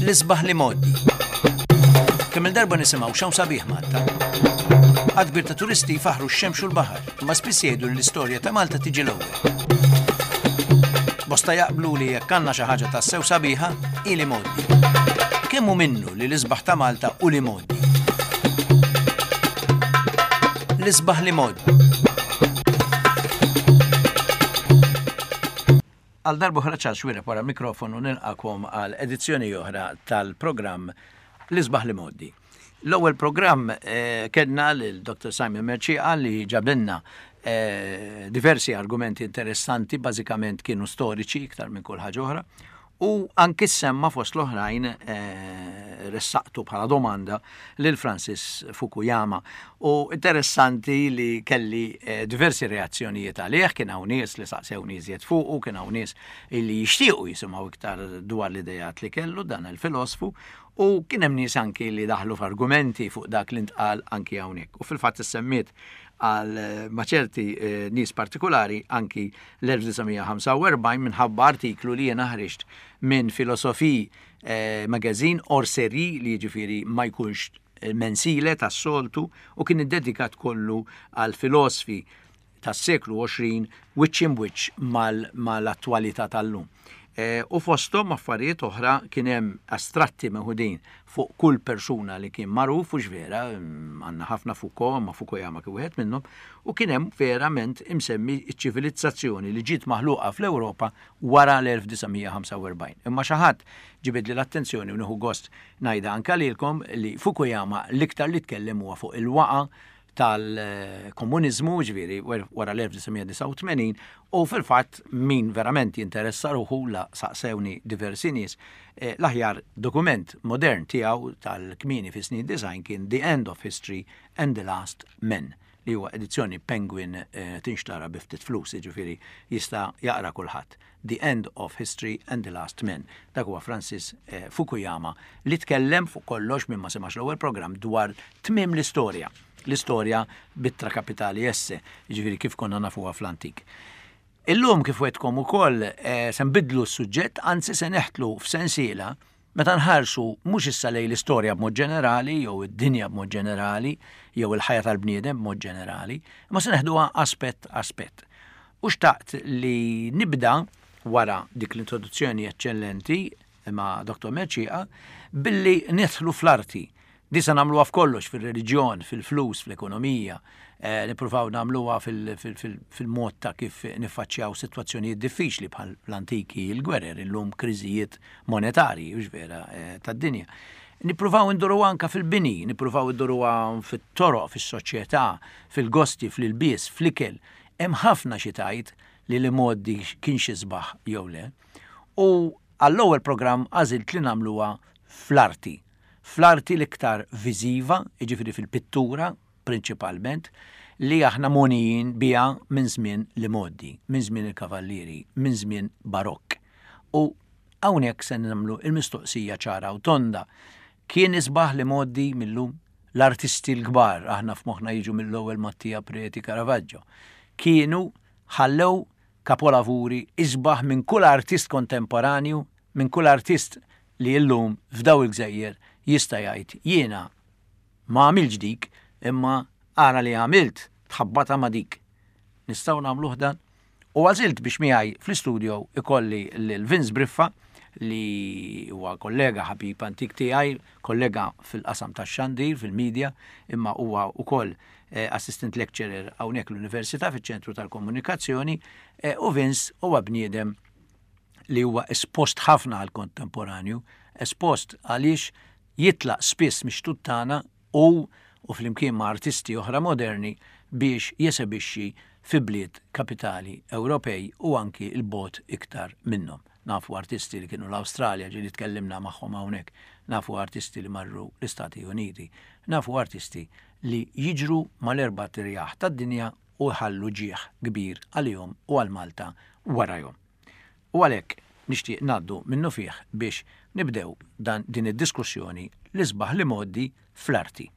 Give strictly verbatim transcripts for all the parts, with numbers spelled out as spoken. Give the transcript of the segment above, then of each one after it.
L-isbaħ l-imgħoddi. Kemm il-darba nisimgħu x'hawn sabiħ Malta. Għadd kbir ta' turisti jfaħħru x-xemx u l-baħar, imma spiss jgħidu li l-istorja ta' Malta tiġi l-ewwel. Bosta jaqblu li jekk għandna xi ħaġa tassew sabiħa, hi l-imgħoddi. Kemm hu minnu li l-isbaħ ta' Malta hu l-imgħoddi? L-isbaħ l-imgħoddi. Għal darb'oħra Charles Xuereb wara mikrofonu nilqakom għal edizzjoni oħra tal-programm L-Isbaħ l-Imgħoddi. L-ewwel programm eh, kellna lil Dr. Simon Mercieca li ġabilna eh, diversi argumenti interessanti, bażikament kienu storiċi iktar minn kull ħaġa oħra, u anki semma fost l-oħrajn eh, ressaqtu bħala domanda lil Francis Fukuyama. U interessanti li kelli eh, diversi reazzjonijiet għalih, kien hawn nies li saqsewni iżjed fuqu, kien hawn nies li jixtiequ jisimgħu iktar dwar l-idejat li kellu dan il-filosfu, u kien hemm nies anki li daħlu f'argumenti fuq dak li ntqal anki hawnhekk. U fil-fatt issemmiet għal eh, ma' ċerti eh, nies partikolari anki l-elf disa' mija ħamsa u erbgħin minħabba artiklu li jiena ħriġt minn Philosophie, eh, magazine or série li jiġifieri ma jkunx mensile tas-soltu u kien iddedikat kollu għal filosfi tas-seklu għoxrin wiċċ imwiċċ mal-, mal-attwalità tal-lum. Eh, u fosthom affarijiet oħra kien hemm astratti meħudin fuq kull persuna li kien magħruf, u x'vera, mm, għandna ħafna Foucault, ma Fukuyama kien wieħed minnhom, u kien hemm verament imsemmi ċ-ċivilizzazzjoni li ġiet maħluqa fl-Ewropa wara l-elf disa' mija ħamsa u erbgħin. Imma xi ħadd ġibidli l-attenzjoni u nieħu gost ngħidha anke lilkom li Fukuyama l-iktar li tkellem huwa fuq il-waqa tal-komuniżmu, ġifieri wara l-elf disa' mija disgħa u tmenin, u fil-fatt min verament jinteressa ruħu la saqsewni diversi nies, eh, l-aħjar dokument modern tiegħu tal-kmieni fi snin design kien The End of History and the Last Men, li huwa edizzjoni Penguin, eh, tinxtara bi ftit flus, jiġifieri jista' jaqra kulħadd. The End of History and the Last Men. Dak huwa Francis, eh, Fukuyama li tkellem fuq kollox minn ma semax l-ewwel programm dwar tmiem l-istorja. L-istorja b'ittra kapitali S, jiġifieri kif konna nafuha fl-antik. Illum kif wetkom ukoll, eh, se nbidlu s-suġġett, anzi se neħtlu f'sensiela meta nħarsu mhux issa lejn l-istorja b'mod ġenerali jew id-dinja b'mod ġenerali jew il-ħajja tal-bniedem b'mod ġenerali, imma se neħduha aspett aspett. U xtaqt li nibda wara dik l-introduzzjoni eċċellenti ma' Doktor Mercieca billi nidħlu fl-arti. Di se nagħmluha f'kollox, fir-reliġjon, fil-flus, fl-ekonomija, eh, nippruvaw nagħmluha fil-, fil-, fil-, fil-mod ta' kif niffaċċjaw sitwazzjonijiet diffiċli bħal l-antiki il-gwerer, illum kriżijiet monetarji, hux vera, eh, tad-dinja. Nippruvaw induru anka fil-bini, nippruvaw induru fit-toroq, fis-soċjetà, fil-gosti, fl-ilbies, fl-ikel. Hemm ħafna xi tgħid li l-imgħoddi kien xi sbaħ jew le. U għall-ewwel programm għażilt li nagħmluha fl-arti. Fl-arti l-iktar viżiva, jiġifieri fil-pittura prinċipalment, li aħna monijin biha minn żmien l-imgħoddi, minn żmien il-kavallieri, minn żmien barokk. U hawnhekk se nagħmlu il-mistoqsija ċara u tonda. Kien isbaħ l-imgħoddi millum? L-artisti l-kbar, aħna f'moħħna jiġu mill-ewwel Mattia Preti Caravaggio, kienu ħallew kapolavuri isbaħ minn kull artist kontemporanju, minn kull artist li llum f'daw il-gżejjer jista' jgħid jiena ma għamilx dik, imma ara li għamilt tħabbata ma' dik. Nistgħu nagħmluh dan? U għażilt biex miegħi fl-istudio ikolli lil Vince Briffa, li huwa kollega ħabib antik tiegħi, kollega fil-qasam tax-xandir, fil-media, imma huwa wkoll, eh, assistant lecturer hawnhekk l-Università fiċ-ċentru tal-Komunikazzjoni, eh, u Vince huwa bniedem li huwa espost ħafna għal kontemporanju, espost għaliex jitlaq spiss mix-xtut tagħna u, u flimkien ma' artisti oħra moderni biex jesebixxi fi bliet kapitali Ewropej u anki l-bot iktar minnhom. Nafu artisti li kienu l-Awstralja, ġieli tkellimna magħhom hawnhekk, nafu artisti li marru l-Istati Uniti, nafu artisti li jiġru mal-erba' tirjaħ tad-dinja u jħallu ġieħ kbir għalihom u għal Malta warajhom. U għalhekk nixtieq ngħaddu minnu fih biex nibdew dan, din id-diskussjoni li sbaħ li mgħoddi fl-arti.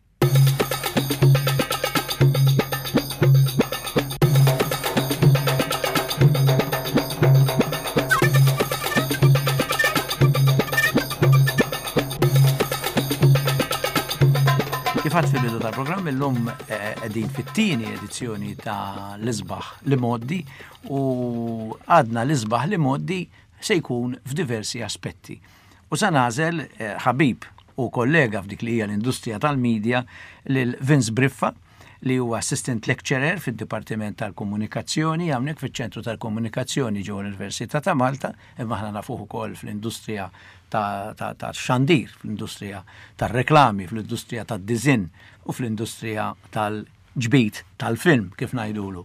Kif għedt fil-bidu tal-programm, illum eh, qegħdin fit-tieni edizzjoni ta' l-isbaħ l-imgħoddi u għadna l-isbaħ l-imgħoddi se jkun f'diversi aspetti. U sa nagħżel eh, ħabib u kollega f'dik li hija l-industrija tal-medja lil Vince Briffa, li huwa assistant lecturer fid-Dipartiment tal-Komunikazzjoni hawnhekk fiċ-Ċentru tal-Komunikazzjoni ġewwa l-Università ta' Malta, imma aħna nafuh ukoll fl-industrija ta' ta' ta' xandir, fl-industrija tar-reklami, fl-industrija tad-design u fl-industrija tal-ġbid tal-film, kif ngħidulu.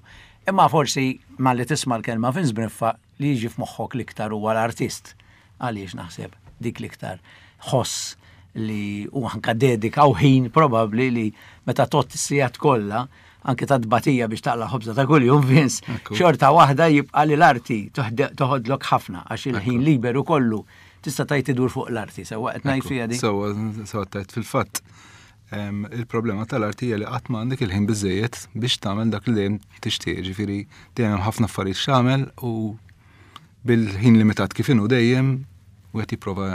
Imma forsi malli tisma' l-kelma Vince Briffa, li jiġi f'moħħok l-iktar huwa l-artist. Għaliex naħseb dik l-iktar ħoss li u anka dedika u ħin probabli li meta tot is-sigħat kollha anke ta' tbatija biex taqla' ħobża ta' kuljum, Vince, Ekku. xorta waħda jibqa' li l-arti toħde- toħodlok ħafna għax il-ħin liberu kollu tista' tgħid idur fuq l-arti, sewwa qed ngħid fiha di? Sewwa, sewwa tajt fil-fatt. em, Il-problema tal-arti hija li qatt ma għandek il-ħin biżejjed biex tagħmel dak li dejjem tixtieq, ġifieri dejjem hemm ħafna affarijiet x'tagħmel u bil-ħin limitat kif inhu dejjem wieħed jipprova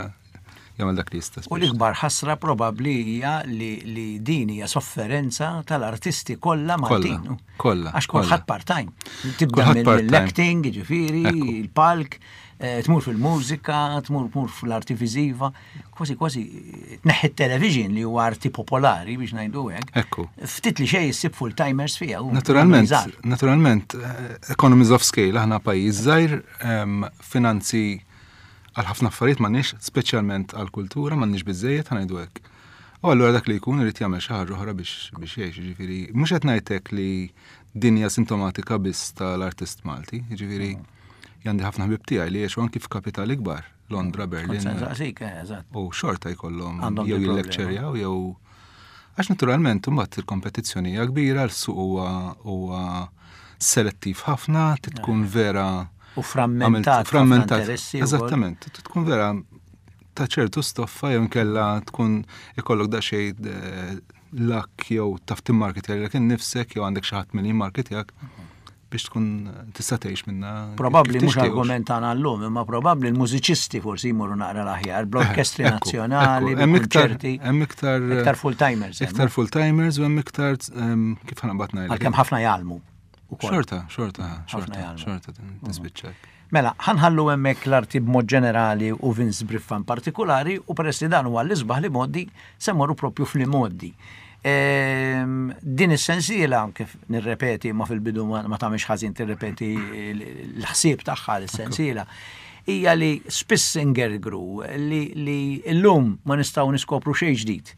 jagħmel dak li jista'. U l-ikbar ħasra probabbli hija li, li din hija sofferenza tal-artisti kollha Maltin. Kollha, Għax kollha. kulħadd part-time. Tibda Kulħadd part-time. mill-acting, ġifieri, Ekku. il-palk, eh, tmur fil-mużika, tmur tmur fl-arti viżiva, kważi kważi tneħħi television li huwa arti popolari biex ngħidu hekk. Ekku. Ftit li xejn issib full-timers fiha. u Naturalment, żgħar. naturalment, eh, economies of scale, aħna pajjiż żgħir, em, finanzi għal ħafna affarijiet m'għandniex, speċjalment għal kultura m'għandniex biżejjed, ħa ngħidu hekk. U allura dak li jkun irid jagħmel xi ħaġa oħra biex biex jgħix, jiġifieri mhux qed ngħidlek li din hija sintomatika biss tal-artist Malti, jiġifieri għandi ħafna ħbieb tiegħi li jgħixu anki f'kapitali kbar, Londra, Berlin. Kont se nsaqsik, eh, eżatt. U xorta jkollhom Għandhom jew di problema. jillekċerjaw jew għax naturalment imbagħad il-kompetizzjoni hija kbira, l-suq huwa huwa selettiv ħafna, trid tkun vera U frammentat. għamilt- frammentat. ħafna interessi wkoll. Eżattament, trid tkun vera ta' ċertu stoffa jew inkella tkun ikollok daqsxejn eh, luck jew taf timmarketja lilek innifsek jew għandek xi ħadd min jimmarketjak biex tkun tista' tgħix minna. Probabbli kif mhux tixtieq. argument tagħna llum, imma probabbli l-mużiċisti forsi jmorru naqra l-aħjar, bl-orkestri Ekku, nazzjonali, ekku. Hemm iktar bil-konċerti. hemm iktar Iktar full-timers. hemm. Iktar full-timers u hemm iktar em, kif ħa naqbad ngħidlek. Għalkemm ħafna jgħallmu. ukoll. Xorta, xorta, xorta, jgħallmu. xorta tispiċċak. Mela, ħa nħallu hemmhekk l-arti b'mod ġenerali u Vince Briffa in partikolari u peress li dan huwa l-isbaħ l-imgħoddi se mmorru propju fl-imgħoddi. Ehm, Din is-sensiela, kif nirrepeti, ma fil-bidu ma ma tagħmilx ħażin tirrepeti l-ħsieb tagħha l-sensiela, hija li spiss ingergru li, li illum ma nistgħu niskopru xejn ġdid.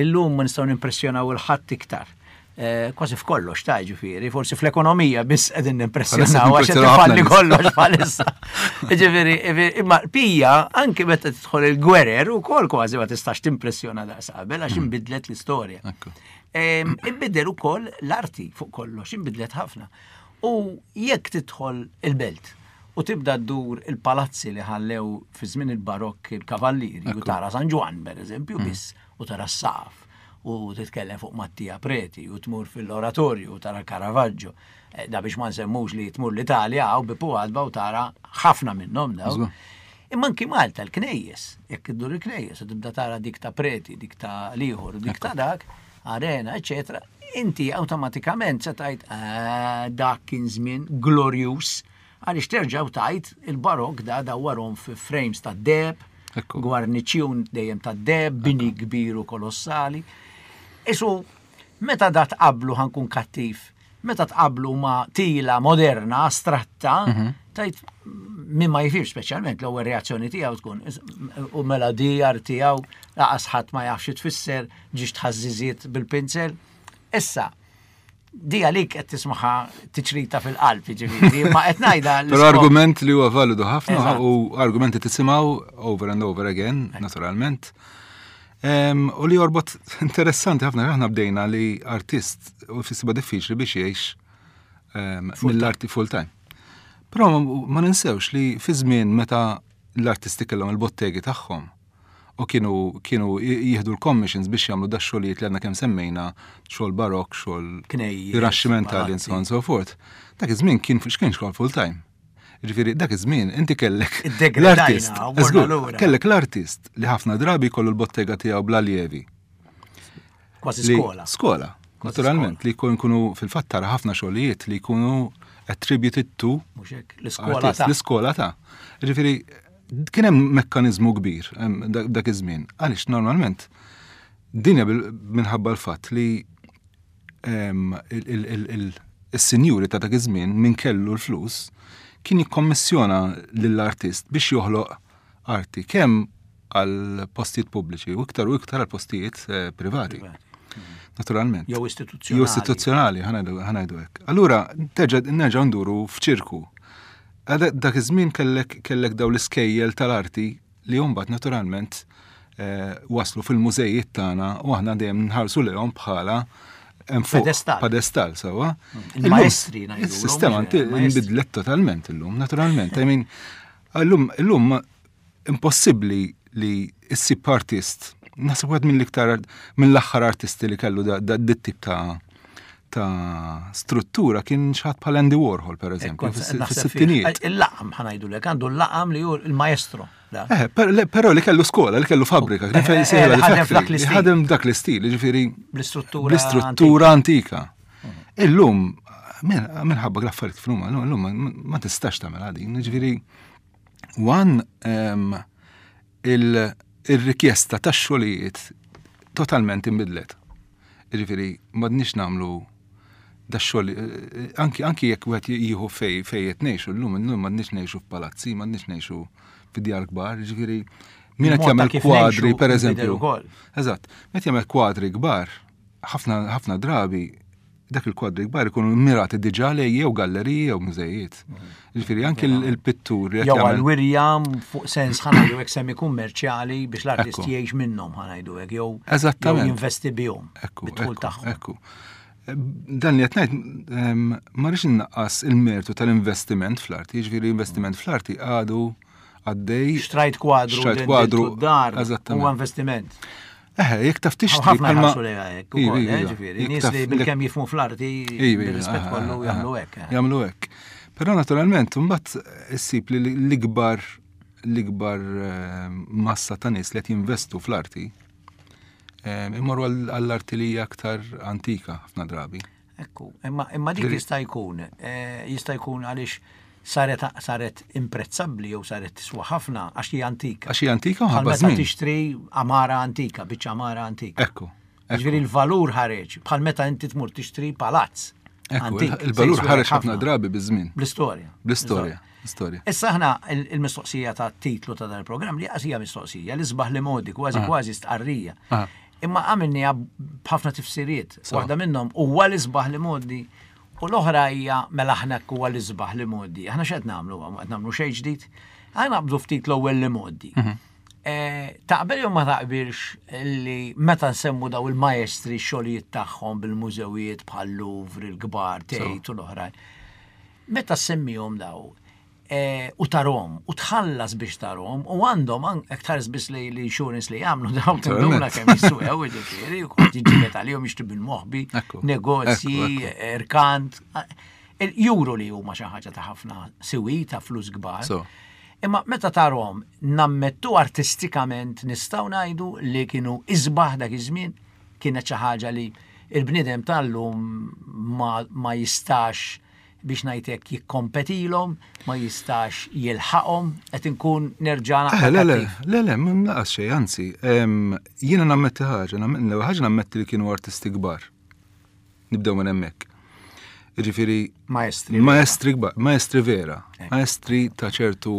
Illum ma nistgħu nimpressjonaw il-ħadd iktar. Eh, Kważi f'kollox ta' ġifieri, forsi fl-ekonomija biss qegħdin nimpressjonaw għax qed Bħalissa ifalli ħafna nies. kollox bħalissa. Ġifieri, imma pija anke meta tidħol il-gwerer ukoll kważi ma tistax timpressjona daqs qabel għax inbidlet l-istorja. Ekku. Em, Inbidel ukoll l-arti fuq kollox, inbidlet ħafna. U jekk tidħol il-belt u tibda ddur il-palazzi li ħallew fi żmien il-barokk il-kavallieri u tara San Ġwann per eżempju biss u tara s-saqaf u titkellem fuq Mattia Preti u tmur fil-oratorju u tara Caravaggio. Eh, Da biex ma nsemmux li tmur l-Italja u bipu għadba u tara ħafna minnhom daw. Żgur. Imma anki Malta l-knejjes, jekk iddur il-knejjes, u tibda tara dik ta' Preti, dik ta' l-ieħor, dik ta' dak, arena, eccetera, inti awtomatikament se tgħid "Ah, dak kien żmien glorjus, għaliex terġa' u tgħid il-barok da dawwarhom fi frames ta' deheb, Ekku. gwarniċjun dejjem ta' deheb, bini kbir u kolossali. Isu, meta da tqablu ħa nkun kattiv, meta tqablu ma tila moderna, astratta, tgħid min ma jifhimx speċjalment l-ewwel reazzjoni tiegħu tkun is- u mela di tiegħu laqas ħadd ma jafx xi tfisser, ġiex tħażżiżiet bil-pinzel. Issa, di għalik qed tismaħa tiċrita fil-qalb, ġifieri, ma qed ngħidha Però l-iskop- argument li huwa validu ħafna Eżatt. u argumenti tisimgħu over and over again, naturalment. Em, U li jorbot interessanti ħafna, aħna bdejna li artist u fissibha diffiċli biex jgħix em, mill-arti full time. Però ma- ma ninsewx li fi żmien meta l-artisti kellhom il-bottegi tagħhom u kienu kienu jieħdu l-commissions biex jagħmlu da xogħlijiet li għandna kemm semmejna, xogħol barok, xogħol Knejjes, rinaxximentali and so on and so forth. Dak iż-żmien kien x'kien xogħol full time. Ġifieri dak iż-żmien inti kellek Iddegradajna, l-artist, u morna żgur, lura. kellek l-artist li ħafna drabi jkollu l-bottega tiegħu bl-aljevi. Kważi skola. Skola, naturalment, li jkunu fil-fatt tara ħafna xogħlijiet li jkunu attributed to l-iskola ta'. L-iskola ta'. Ġifieri kien hemm mekkaniżmu kbir dak iż-żmien. Għaliex normalment dinja minħabba l-fatt li il-sinjuri ta' dak iż-żmien min kellu l-flus kien jikkommissjona lill-artist biex joħloq arti kemm għal postijiet pubbliċi u iktar u iktar għal postijiet privati. Naturalment. Jew istituzzjonali. Jew istituzzjonali, ħanajdu hekk. Allura nerġa' nduru f'ċirku. Dak iż-żmien kellek kellek daw l-iskejjel tal-arti li mbagħad naturalment waslu fil-mużejiet tagħna u aħna dejjem nħarsu lejhom bħala pedestal. Pedestal, sewwa. Il-maestri ngħidu. Is-sistema nbidlet totalment illum, naturalment. I mean, illum illum impossibbli li issib artist, naħseb wieħed mill-iktar mill-aħħar artisti li kellu dat tip ta' ta' struttura kien xi ħadd bħal Andy Warhol, per eżempju, fis-sittinijiet. Il-laqam ħa ngħidulek, għandu l-laqam li hu il-maestro. Eh, però li kellu skola, li kellu fabbrika, ħadem dak l-istil, ġifieri bl-istruttura bl-istruttura antika. Illum, minħabba l-affarijiet f'numa, illum ma tistax tagħmel din, ġifieri one il-rikjesta tax-xogħlijiet totalment inbidlet. Ġifieri m'għadniex nagħmlu da xogħol anki anki jekk wieħed jieħu fej fej qed ngħixu llum illum m'għadniex ngħixu f'palazzi, m'għadniex ngħixu fid-djar kbar, ġifieri min qed jagħmel kwadri pereżempju. Eżatt, meta jagħmel kwadri kbar, ħafna ħafna drabi dak il-kwadri kbar ikunu mirati diġà lej jew galleriji jew mużejiet. Ġifieri anki l-pittur jew għal-wirja fuq sens ħa ngħidu hekk semi kummerċjali biex l-artist jgħix minnhom ħa ngħidu hekk jew jinvesti bihom. Ekku, ekku. Dan li qed ngħid ma rridx innaqqas il-mertu tal-investiment fl-arti, jiġifieri investiment fl-arti għadu għaddej. Xtrajt kwadru, xtrajt kwadru, dar, huwa investiment. Eh, jekk taf tixtri. Ħafna jħarsu lejha hekk ukoll, ġifieri, nies li bilkemm jifhmu fl-arti bir-rispett kollu jagħmlu hekk. Jagħmlu hekk. Però naturalment imbagħad issib li l-ikbar l-ikbar massa ta' nies li qed jinvestu fl-arti imorru għall-arti li hija aktar antika ħafna drabi. Ekku, imma imma dik jista' jkun, jista' jkun għaliex saret saret imprezzabbli jew saret tiswa ħafna għax hija antika. Għax hija antika u ħabba żmien. Tixtri amara antika, biċċa amara antika. Ekku. Ġifieri l-valur ħareġ bħal meta inti tmur tixtri palazz. Ekku, il-valur ħareġ ħafna drabi biż-żmien. Bl-istorja. Bl-istorja. Istorja. Issa aħna il-mistoqsija ta' titlu ta' dan il-programm li hija mistoqsija li sbaħ li modi kważi kważi stqarrija. Imma għamilniha b'ħafna tifsiriet. Waħda minnhom huwa l-isbaħ li modi u l-oħra hija mela aħna huwa l-isbaħ li modi. Aħna x'qed nagħmlu? Qed nagħmlu xejn ġdid. Aħna naqbdu ftit l-ewwel li modi. Taqbel jew ma taqbilx li meta nsemmu daw il-maestri x-xogħlijiet tagħhom bil-mużewijiet bħal Louvre, il-kbar, Tate u l-oħrajn. Meta semmihom daw u tarom, u tħallas biex tarom, u għandhom aktar biss li l-insurance li jagħmlu dawn tinduna kemm jiswew, ġifieri, u kont jiġġieled għalihom jixtri bil-moħbi, negozji, irkant, juru li huma xi ħaġa ta' ħafna siwi, ta' flus kbar. Imma meta tarom nammettu artistikament nistgħu ngħidu li kienu isbaħ dak iż-żmien, kienet xi ħaġa li il-bniedem tal-lum ma jistax biex ngħidlek jikkompetilhom, ma jistax jilħaqhom, qed inkun nerġa' naqra. Le, le, le, le, naqas xejn, anzi, jiena nammetti ħaġa, l-ewwel ħaġa nammetti li kienu artisti kbar. Nibdew minn hemmhekk. Jiġifieri maestri. Maestri kbar, maestri vera, maestri ta' ċertu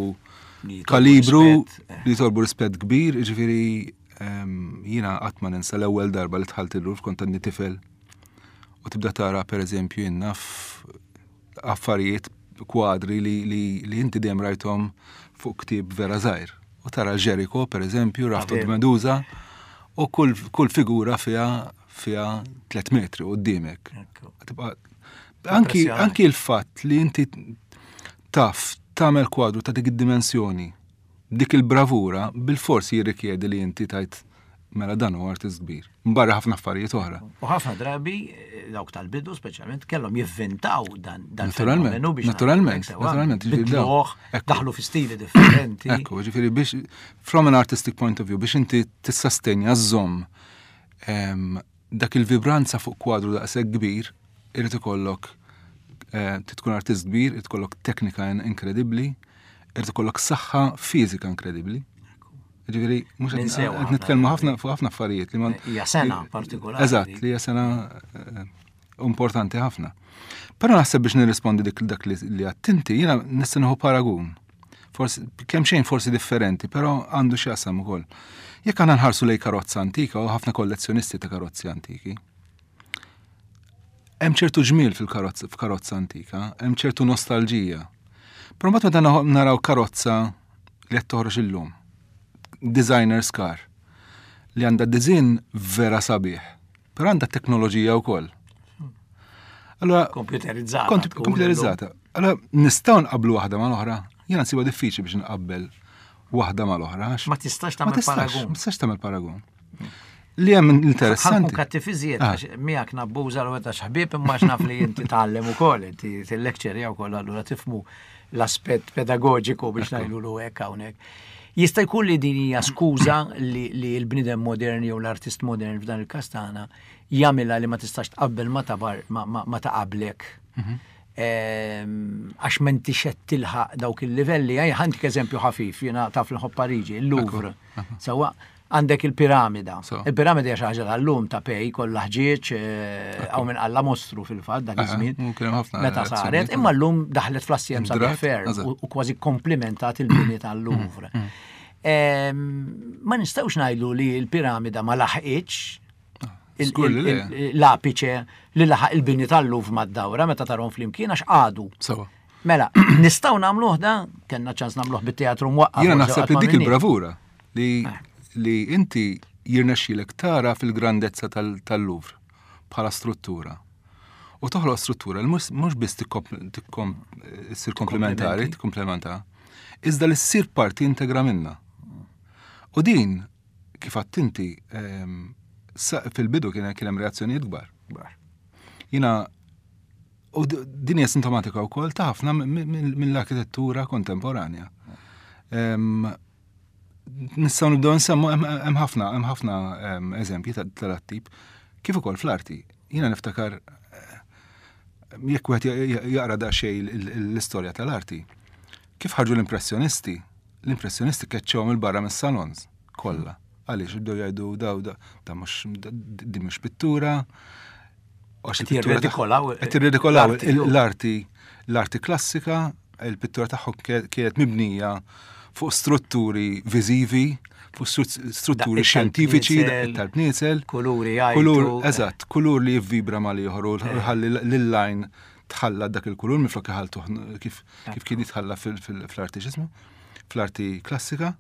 kalibru li jitolbu rispett kbir, jiġifieri jiena qatt ma ninsa l-ewwel darba li dħalt il-Louvre kont għandi tifel u tibda tara pereżempju jien naf affarijiet, kwadri li, li, li inti dejjem rajthom fuq ktieb vera żgħir. U tara Jericho, per eżempju, Raft of Medusa, u kull, kull figura fiha fiha tliet metri qudiemek. Anki, anki l-fatt li inti taf tagħmel kwadru ta' dik id-dimensjoni, dik il-bravura, bil-forsi jirrikjedi li inti tajt mela dan huwa artist kbir. Mbarra ħafna affarijiet oħra. U ħafna drabi dawk tal-bidu speċjalment kellhom jivvintaw dan dan fenomenu biex naturalment, naturalment, bidluh, daħlu fi stili differenti. Ekku, ġifieri biex from an artistic point of view biex inti tissastenja żomm Dak il-vibranza fuq kwadru daqshekk kbir, irid ikollok eh, tkun artist kbir, irid ikollok teknika inkredibbli, irid ikollok saħħa fiżika inkredibbli. Ġifieri, mhux qed nitkellmu ħafna fuq ħafna affarijiet li ma. Hija sena partikolari. Eżatt, li hija sena eh, importanti ħafna. Però naħseb biex nirrispondi dik dak li għattinti, jiena nista' nieħu paragun. Forsi kemm xejn forsi differenti, però għandu x'jaqsam ukoll. Jekk għandna nħarsu lej karozza antika u ħafna kollezzjonisti ta' karozzi antiki. Hemm ċertu ġmiel fil-karozza f'karozza antika, hemm ċertu nostalġija. Però mbagħad meta naraw karozza li qed toħroġ illum, designer's car, li għandha design vera sabiħ, però għandha teknoloġija wkoll. Allora, komputerizzata. Komputerizzata. Allora, nistgħu nqablu waħda mal-oħra? Jiena nsibha diffiċli biex nqabbel waħda mal-oħra. Ma tistax tagħmel paragun. Ma tistax tagħmel paragun. Li hemm interessanti. Ħa nkun kattiv iżjed, ah. miegħek nabbuża l għax ħbieb imma naf li inti tgħallem ukoll, inti til-lecture wkoll allura tifhmu l-aspett pedagogiku biex ngħidulu hekk hawnhekk. Jista' jkun li din hija skuża li l-bniedem modern jew l-artist modern f'dan il-każ tagħna jagħmilha li ma tistax tqabbel ma tabar ma ta' qablek. Mhm. Għax m'intix qed tilħaq dawk il-livelli, ħa ntik eżempju ħafif, jiena taf nħobb Pariġi, il-Louvre. Sewwa għandek il-piramida. Il-piramida hija xi ħaġa tal-lum ta' pej kollha ħġieġ hawn minn alla mostru fil-fatt dak iż-żmien. Meta saret, imma llum daħlet fl-assjem sabiħ ferm u kważi komplimentat il-bini tal-Louvre. Mm, mm. Ma nistgħux ngħidu li l-piramida ma laħqitx l-apice li laħaq il-bini tal-Louvre mad-dawra meta tarahom flimkien għax għadu. Mela, nistgħu nagħmluh da, kellna ċans nagħmluh bit-teatru mwaqqa. Jiena naħseb li dik il-bravura li eh. li inti jirnexxilek tara fil-grandezza tal-Louvre bħala struttura. U toħloq struttura li mhux biss issir komplementari, tikkomplementa, iżda li ssir parti integra minna. U din, kif għattinti, ehm, fil-bidu kien kien hemm reazzjonijiet kbar. Jiena u din hija sintomatika wkoll ta' ħafna mill-arkitettura kontemporanja. Ehm, nistgħu nibdew nsemmu hemm ħafna hemm ħafna eżempji tal-tip kif ukoll fl-arti. Jiena niftakar eh, jekk wieħed jaqra daqsxejn l-istorja tal-arti. Kif ħarġu l-impressjonisti? L-impressjonisti keċċewhom il-barra mis-salons kollha. Għaliex bdew jgħidu daw da mhux di mhux pittura. Qed jirredikolaw Qed jirredikolaw l-arti l-arti klassika, il-pittura tagħhom kienet mibnija fuq strutturi viżivi, fuq strutturi xjentifiċi, tal-bniesel. Kuluri. Kulur, eżatt, kulur li jivvibra mal-ieħor u ħalli l-line tħalla dak il-kulur minflok iħaltu kif kif kien jitħalla fl-arti x'ismu, fl-arti klassika.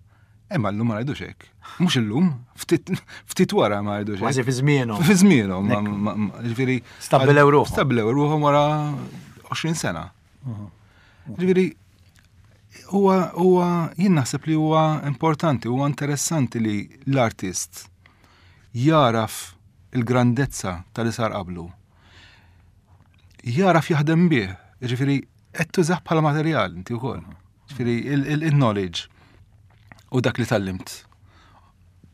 Imma llum ma ngħidux hekk. Mhux illum, ftit wara ma ngħidux hekk. Kważi fi żmienhom. Fi żmienhom, ġifieri. Stabbilew ruħhom. Stabbilew ruħhom wara għoxrin sena. Ġifieri, huwa huwa jien naħseb li huwa importanti, huwa interessanti li l-artist jaraf il-grandezza tal sar qablu. Jaraf jaħdem bih, ġifieri qed tużah bħala materjal inti wkoll. Ġifieri il-knowledge u dak li tgħallimt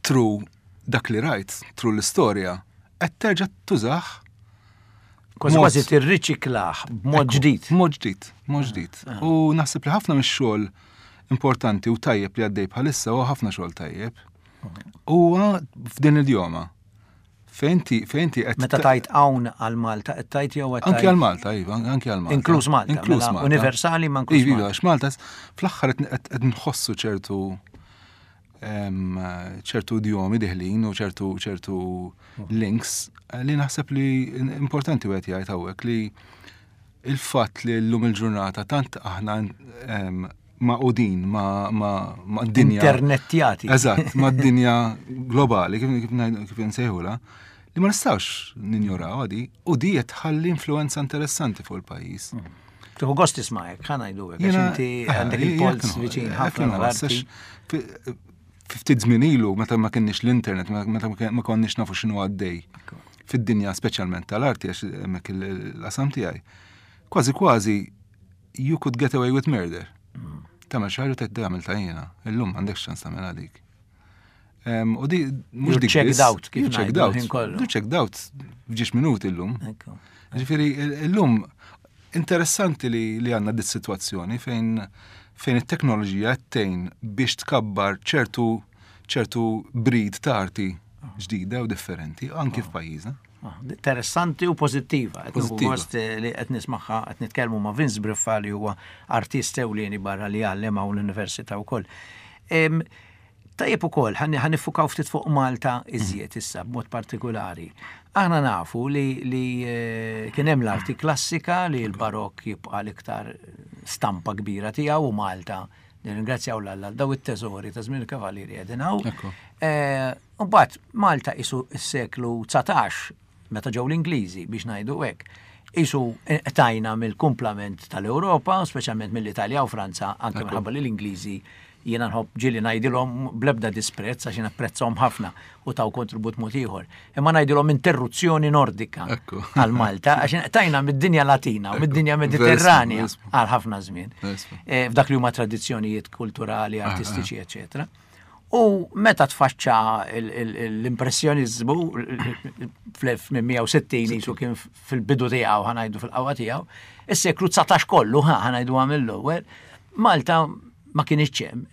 through dak li rajt, through l-istorja, qed terġa' tużah. Kważi kważi tirriċiklah b'mod ġdid. Mod ġdid, mod ġdid. Ah. U naħseb li ħafna mix-xogħol importanti u tajjeb li għaddej bħalissa huwa ħafna xogħol tajjeb. Huwa f'din l-idjoma. Fejn ti fejn ti qed Meta tajt hawn għal Malta, qed tajt jew qed Anki għal Malta, iva, anki għal Malta. Inkluż Malta. Inkluż mela Malta. Universali ma inkluż Iva, Malta. għax Malta fl-aħħar qed nħossu ċertu ċertu idjomi diħlin u ċertu ċertu links li naħseb li importanti wieħed jgħid hawnhekk li il-fatt li llum il-ġurnata tant aħna magħqudin ma' ma' dinja. Internetjati. Eżatt, ma' dinja globali, kif kif nsejħula, li ma nistgħux ninjoraw għadi, u di qed tħalli influenza interessanti fuq il-pajjiż. Tieħu gost tisma'ek, ħa ngħidu hekk, għax inti għandek il-polz viċin ħafna l-arti. Ftit żmien ilu meta ma kienx l-internet, meta ma konniex nafu x'inhu għaddej fid-dinja speċjalment tal-arti għax hemmhekk il-qasam tiegħi. Kważi kważi you could get away with murder. Tagħmel xi ħaġa tgħid tagħmel ta' jiena, illum m'għandekx ċans tagħmel għalik. U di mhux dik checked out kif checked out. You checked out f'ġiex minuti llum. Ġifieri llum interessanti li li għandna dit sitwazzjoni fejn fejn it-teknoloġija qed tgħin biex tkabbar ċertu ċertu breed ta' arti ġdida u differenti anki f'pajjiżna. Interessanti u pozittiva. Gost li qed nismagħha qed nitkellmu ma' Vince Briffa li huwa artist ewlieni barra li għallem hawn l-università wkoll. Tajjeb ukoll ħa niffukaw ftit fuq Malta iżjed issa b'mod partikolari. Aħna nafu li, li kien hemm l-arti klassika li l-barokk jibqa' l-iktar stampa kbira tiegħu u Malta nirringrazzjaw 'l Alla daw it-teżori ta' żmien il-Kavallieri qegħdin hawn. Mbagħad Malta isu s-seklu dsatax meta ġew l-Ingliżi biex ngħidu hekk. Isu tajna mill-kumplament tal-Ewropa, speċjalment mill-Italja u Franza, anke minħabba li l-Ingliżi jiena nħobb ġieli ngħidilhom bl-ebda disprezz għax napprezzahom ħafna u taw kontribut mod ieħor. Imma ngħidilhom interruzzjoni nordika għal Malta għax tajna mid-dinja Latina u mid-dinja Mediterranja għal ħafna żmien. F'dak li huma tradizzjonijiet kulturali, artistiċi, eċetera. U meta tfaċċa l-impressjonizmu fl-elf tmien mija u sittin jisu kien fil-bidu tiegħu, ħa ngħidu fil-qawwa tiegħu, is-seklu dsatax kollu ħa ngħidu mill-ewwel, Malta ma kienx hemm,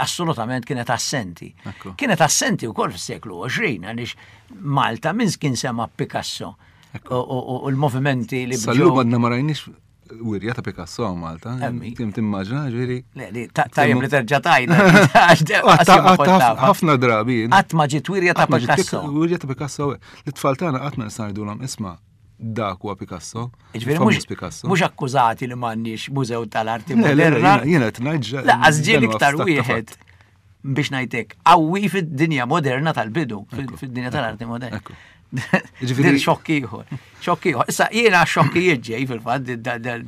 assolutament kienet assenti. Kienet assenti wkoll fis-seklu għoxrin għaliex Malta minn kien sema Picasso u l-movimenti li Sal-lum għadna ma rajniex wirja ta' Picasso Malta. Tim timmaġina, ġifieri. Le, li, tajjeb li terġa' tajna. Ħafna drabi. Qatt ma ġiet wirja ta' Picasso. Wirja ta' Picasso. L-tfal tagħna qatt ma nista' ngħidulhom isma' dak huwa Picasso. Ġifieri mhux akkużati li m'għandniex mużew tal-arti moderna. Jiena qed ngħid. Lanqas ġie iktar wieħed biex ngħidlek qawwi fid-dinja moderna tal-bidu, fid-dinja tal-arti moderna. Ġifieri xokk ieħor. Xokk ieħor. Issa jiena xokkijiet ġej fil-fatt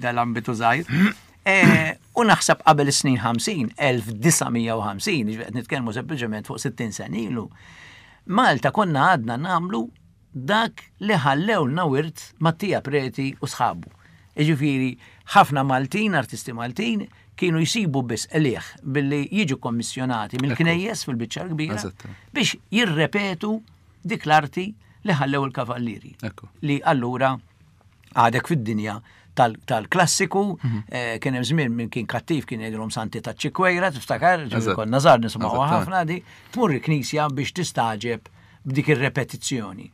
dal-ambitu żgħir. U naħseb qabel is-snin ħamsin, elf disa' mija u ħamsin, ġifieri qed nitkellmu sempliċement fuq sittin sena ilu. Malta konna għadna nagħmlu dak li ħallewlna wirt Mattia Preti u sħabu. Jiġifieri ħafna Maltin, artisti Maltin, kienu jsibu biss qligħ billi jiġu kommissjonati mill-knejjes fil-biċċa kbira biex jirrepetu dik l-arti li ħallew il-kavallieri. Li allura għadek fid-dinja tal-klassiku, kien hemm żmien minn kien kattiv kien jgħidilhom Santi ta' Ċikwejra, tiftakar, konna żgħar nisimgħuha ħafna di, tmur il-knisja biex tistaġeb b'dik ir-repetizzjoni.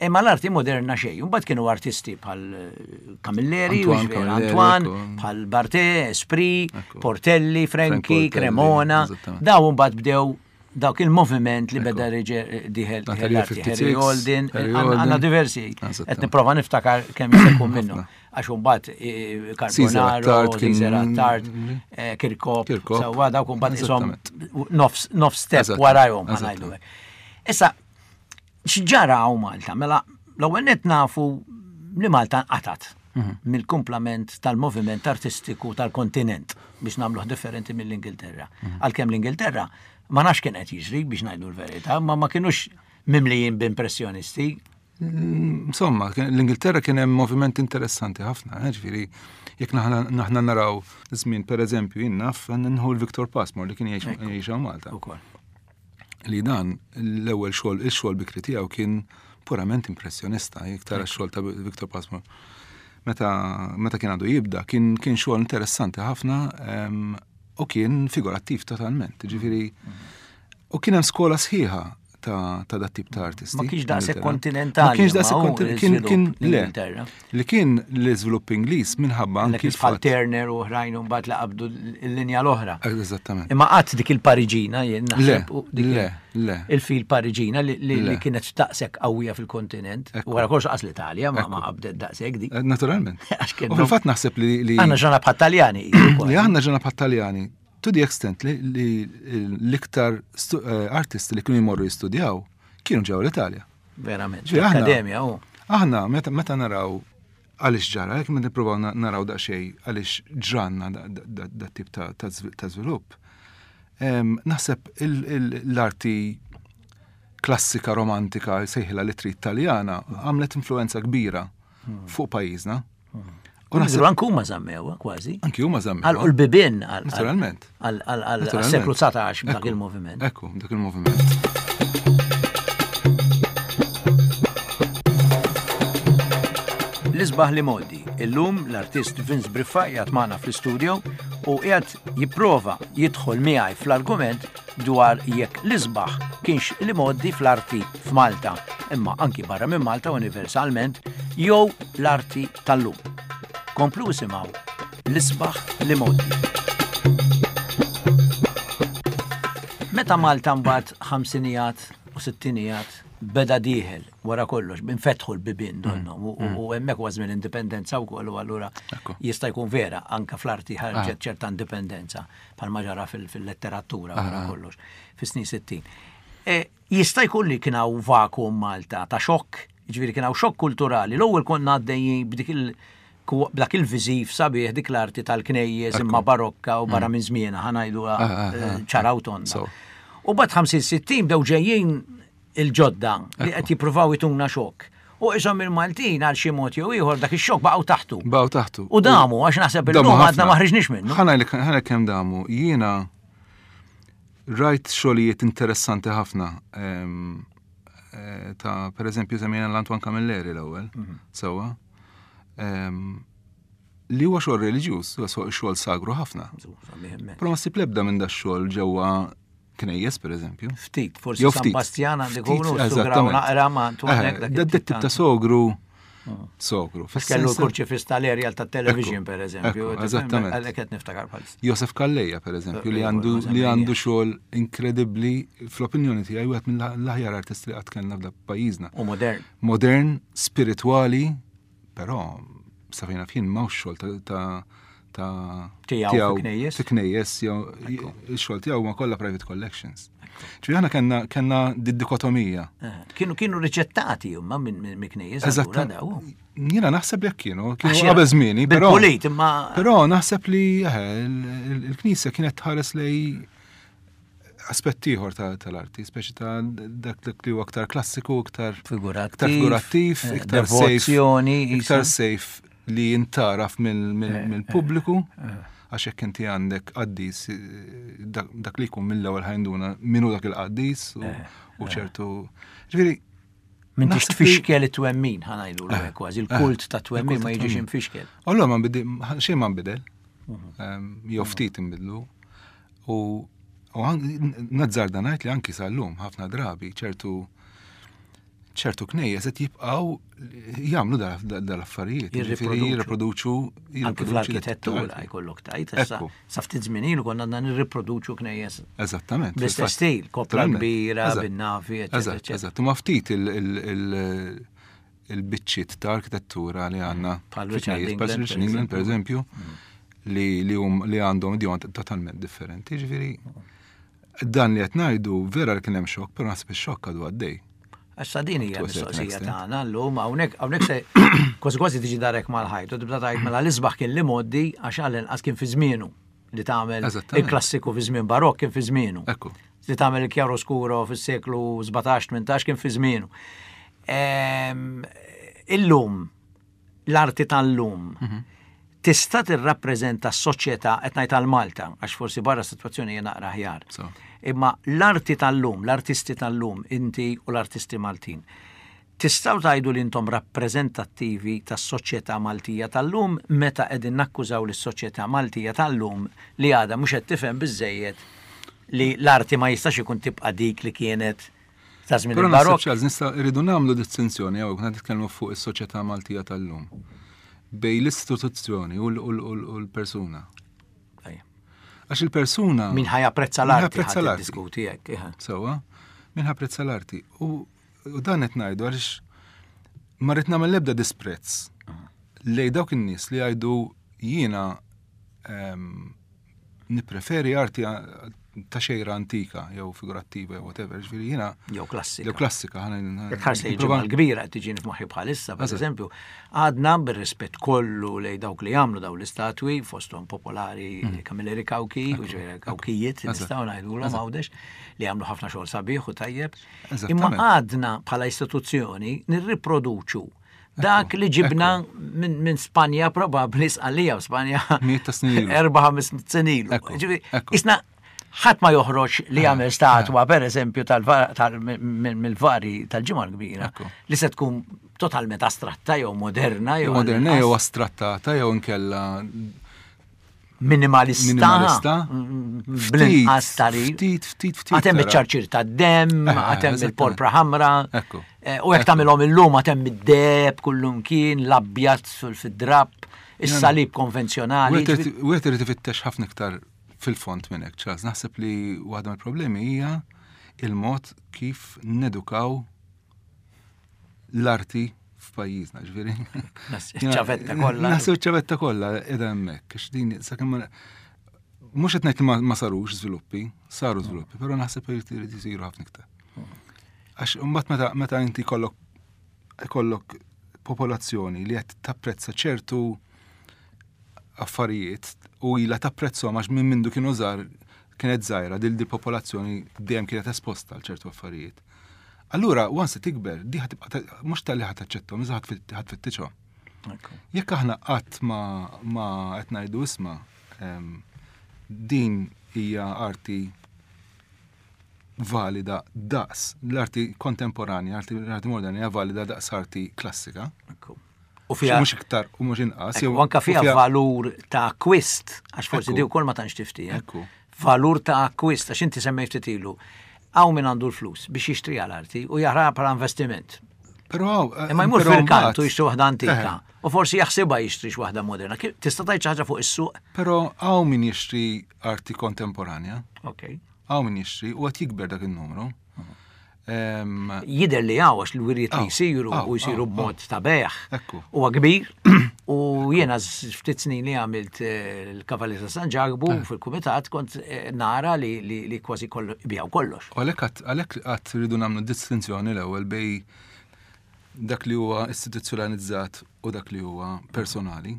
Imma l-arti moderna xejn, imbagħad kienu artisti bħal Camilleri, Antoine, bħal Barthe, Esprit, Portelli, Franchi, Cremona, daw imbagħad bdew dawk il-moviment li beda diħel Harry Holden, għandna diversi, qed nipprova niftakar kemm jista' jkun minnhom. Għax imbagħad Carbonaro, Caesar Attard, Kirkop, sewwa dawk imbagħad ishom nofs step warajhom ħa ngħidu hekk. Issa, x'ġara hawn Malta? Mela, l-ewwel nett nafu li Malta nqatat mill-kumplament tal-moviment artistiku tal-kontinent biex nagħmluh differenti mill-Ingilterra. Għalkemm l-Ingilterra ma nafx kien qed jiġri biex ngħidu l-verità, ma ma kinux mimlijin b'impressjonisti. Insomma, l-Ingilterra kien hemm moviment interessanti ħafna, ġifieri jekk naħna naraw żmien pereżempju jien naf nħu l-Victor Pasmore li kien jgħix hawn Malta. Li dan l-ewwel xogħol, il-xogħol bikri tiegħu kien purament impressjonista, jekk tara x-xogħol ta' Victor Pasmore. Meta, meta kien għadu jibda, kien, kien xogħol interessanti ħafna u kien figurattiv totalment, ġifieri u kien hemm skola sħiħa ta', ta' dat tip ta' artisti. Ma kienx daqshekk kontinentali. Ma kienx daqshekk kontinentali, kien, kien, le, li kien l-iżvilupp Ingliż minħabba anki bħal Turner u oħrajn u mbagħad laqabdu l-linja l-oħra. Eżattament. Imma qatt dik il-Pariġina jien naħseb Le, le, le. Il-fil Pariġina li kienet daqshekk qawwija fil-kontinent. U wara kollox qas l-Italja ma qabdet daqshekk dik. Naturalment. U fil-fatt naħseb li Aħna ġana bħat Taljani. Li aħna ġana bħat Taljani. To the extent li l-iktar artisti li kienu jmorru jistudjaw kienu ġew l-Italja. Verament. L-Akkademja u. Aħna meta naraw għaliex ġara, jekk meta nippruvaw naraw daqsxejn għaliex ġranna dat tip ta' żvilupp. Naħseb l-arti klassika romantika sejħila li trid Taljana għamlet influenza kbira fuq pajjiżna. U naħseb anke huma żammew kważi. Anki huma żammew. Għal l-bibien Naturalment. Għal-seklu dsatax dak il-moviment. Ekku, dak il-moviment. L-isbaħ l-imgħoddi. Illum l-artist Vince Briffa qiegħed magħna fl-istudio u qiegħed jipprova jidħol miegħi fl-argument dwar jekk l-isbaħ kienx l-imgħoddi fl-arti f'Malta, imma anki barra minn Malta universalment, jew l-arti tal-lum. Komplu isimgħu l-isbaħ l-imgħoddi. Meta Malta mbagħad ħamsinijat u sittinijat beda dieħel wara kollox, infetħu l-bibien donnom u hemmhekk huwa żmien indipendenza wkoll u allura jista' jkun vera anke fl-arti ħarġet ċerta indipendenza bħalma ġara fil-letteratura wara kollox fis-snin sittin. Jista' jkun li kien hawn vakuum Malta ta' xokk, jiġifieri kien hawn xokk kulturali. L-ewwel konna għaddejjin b'dik il- b'dak il-viżiv sabiħ dik l-arti tal-knejjes imma barokka u barra minn żmienha ħa ngħidu ċara u tonda. U bad ħamsin sittin bdew ġejjin il-ġodda li qed jippruvaw ituna xokk. U isom il-Maltin għal xi mod jew ieħor dak ix-xokk baqgħu taħtu. Baqgħu taħtu. U damu għax naħseb illum għadna ma ħriġniex minnu. Ħa ngħidlek kemm damu. Jiena rajt xogħlijiet interessanti ħafna ta' pereżempju semmejna l-Antoine Camilleri l-ewwel, sewwa. Li huwa xogħol reliġjuż, huwa xogħol sagru ħafna. Però ma ssib l-ebda minn dax-xogħol ġewwa knejjes, per eżempju. Ftit, forsi San Bastian għandi kunu, sograw naqra ma' Antoine. Da tip ta' sogru, sogru. Kellu l-kurċifis tal-aerial ta' television, per eżempju. Eżattament. Għalhekk qed niftakar bħalissa. Josef Calleja, per eżempju, li għandu li għandu xogħol inkredibbli fl-opinjoni tiegħi wieħed mill-aħjar artisti li qatt kellna f'dak pajjiżna. U modern. Modern, spiritwali, però sa fejn naf jien m'hawnx xogħol ta' ta' tiegħu knejjes. Knejjes, jew ix-xogħol tiegħu ma kollha private collections. Ġifieri aħna kellna kellna did-dikotomija. Kienu kienu riċettati huma minn knejjes allura daw. Jiena naħseb jekk kienu, kienu qabel żmieni, però. Bil-pulit imma. Però naħseb li il-Knisja kienet tħares lej aspett ieħor tal-arti, speċi ta' dak li huwa aktar klassiku, aktar figurattiv, iktar safe, iktar safe li jintaraf mill-pubbliku, għax jekk inti għandek qaddis, dak li jkun mill-ewwel ħajnduna minnu dak il-qaddis u ċertu. Ġifieri m'intix tfixkel it-twemmin, ħa ngħidu kważi, il-kult ta' twemmin ma jiġix infixkel. Allura ma nbidel, xejn ma nbidel, jew ftit inbidlu. U nazzarda ngħid li anki sal-lum ħafna drabi ċertu ċertu knejjes qed jibqgħu jagħmlu dal-affarijiet, jirriproduċu. Anke fl-arkitettura jkollok tajt, issa sa ftit żmien ilu konna għandna nirriproduċu knejjes. Eżattament. Bl-istess stil, kopla kbira, bin-nafi, eċetera. Eżatt, u ma ftit il-biċċiet ta' arkitettura li għandna bħal Richard England, per eżempju, li għandhom idjom totalment differenti. Ġifieri dan li qed ngħidu vera li kien hemm xokk, però naħseb ix-xokk għadu għaddej. Għax din hija mistoqsija tagħna llum hawnhekk hawnhekk se kważi kważi tiġi darek mal-ħajt u tibda tgħid mela l-isbaħ kien li mgħoddi għax għall-inqas kien fi żmienu li tagħmel il-klassiku fi żmien barokk kien fi żmienu. Li tagħmel il-chiaroscuro fis-seklu sbatax tmintax kien fi żmienu. Illum l-arti tal-lum tista' tirrappreżenta s-soċjetà qed ngħid għal Malta għax forsi barra s-sitwazzjoni hija naqra aħjar. Imma l-arti tal-lum, l-artisti tal-lum, inti u l-artisti Maltin, tistgħu tgħidu li intom rappreżentattivi tas-soċjetà Maltija tal-lum meta qegħdin nakkużaw lis-soċjetà Maltija tal-lum li għadha mhux qed tifhem biżżejjed li l-arti ma jistax ikun tibqa' dik li kienet ta' żmien il-barokk. Però naħseb irridu nagħmlu distinzjoni hawnhekk meta nitkellmu fuq is-soċjetà Maltija tal-lum bej l-istituzzjoni u l-persuna. Għax il-persuna... Min ħa japprezza l-arti, ħa diskuti hekk. Sewwa, min ħa japprezza l-arti. U dan qed ngħidu għaliex ma rrid nagħmel l-ebda disprezz lej dawk in-nies li jgħidu jiena nippreferi arti ta' xejra antika jew figurattiva jew whatever, ġifieri jiena jew klassika. Jew klassika. Jekk ħarsa ġimgħa l-kbira qed tiġini f'moħħi bħalissa, pereżempju, għadna bir-rispett kollu lej dawk li jagħmlu dawn l-istatwi fosthom popolari Camilleri Cauchi, u ġifieri Cauchijiet nistgħu ngħidulhom Għawdex li jagħmlu ħafna xogħol sabiħ u tajjeb. Imma għadna bħala istituzzjoni nirriproduċu Dak li ġibna minn min Spanja probabbli, Sqallija u Spanja Mijiet ta' snin ilu. Erba' ħames snin ilu. Ekku, Ġifieri, ekku. isna ħadd ma joħroġ li jagħmel statwa, per eżempju, tal- mill-vari tal-Ġimgħa l-Kbira Ekku. li se tkun totalment astratta jew moderna jew Moderna jew għall-inqas astrattata jew inkella minimalista. Minimalista. Bl-inqas tari. Ftit, ftit, ftit. Għad hemm tara. iċ-ċarċir tad-demm, Eh, għad hemm eżattament. il-porpra ħamra. Ekku. Eh, U jekk tagħmilhom illum għad hemm id-deheb kullum kien, l-abjad fil-drapp, is-salib konvenzjonali. Wieħed wieħed irid ifittex ħafna iktar fil-fond minn hekk, Charles. Naħseb li waħda mill-problemi hija il-mod kif nedukaw l-arti f'pajjiżna, ġifieri. Ċavetta kollha. Naħseb ċavetta kollha qiegħda hemmhekk, għax din sakemm ma mhux qed ngħid li ma- ma sarux żviluppi, saru żviluppi, però naħseb irid irid isiru ħafna iktar. Għax imbagħad meta meta inti kollok ikollok popolazzjoni li qed tapprezza ċertu affarijiet u ilha tapprezzhom għax minn mindu kienu żgħar, kienet żgħira dil di popolazzjoni dejjem kienet esposta għal ċertu affarijiet. Allura, once tikber, di ħa tibqa' mhux talli ħa taċċettahom, iżda ħa tfittixhom. Ekku. Jekk aħna qatt ma ma qed ngħidu, isma', em, din hija arti valida daqs l-arti kontemporanja, arti, l-arti moderna hija valida daqs arti klassika. Ekku. U fiha Mhux iktar u mhux inqas. Ekku, jew- anka u fiha valur ta' akkwist, għax forsi Ekku. di wkoll ma tantx tifti. eh? Ekku. Valur ta' akkwist, għax inti semmejt ftit ilu. Hawn min għandu l-flus biex jixtri għal-arti u jara bħala investiment. Però eh, Imma jmur però fil-kantu mbagħad- jixtri waħda antika. Eh, U forsi jaħsibha jixtri waħda moderna. Kif- Tista' tgħid xi ħaġa fuq is-suq? Però hawn min jixtri arti kontemporanja, Ok. hawn min jixtri u qed jikber dak il-numru. Em, Jider li hawn għax l-wirjiet li Aw, jisiru aw, u jisiru aw, b'mod ta' bejgħ. Ekku. Huwa kbir u jiena z- ftit snin li għamilt eh, il-Kavalli ta' San Ġakbu Eh. fil-kumitat kont eh, nara li, li, li kważi kollu bijaw kollox. U għalhekk għat- għalhekk għat rridu nagħmlu distinzjoni l-ewwel bej dak li huwa istituzzjonalizzat u dak li huwa personali.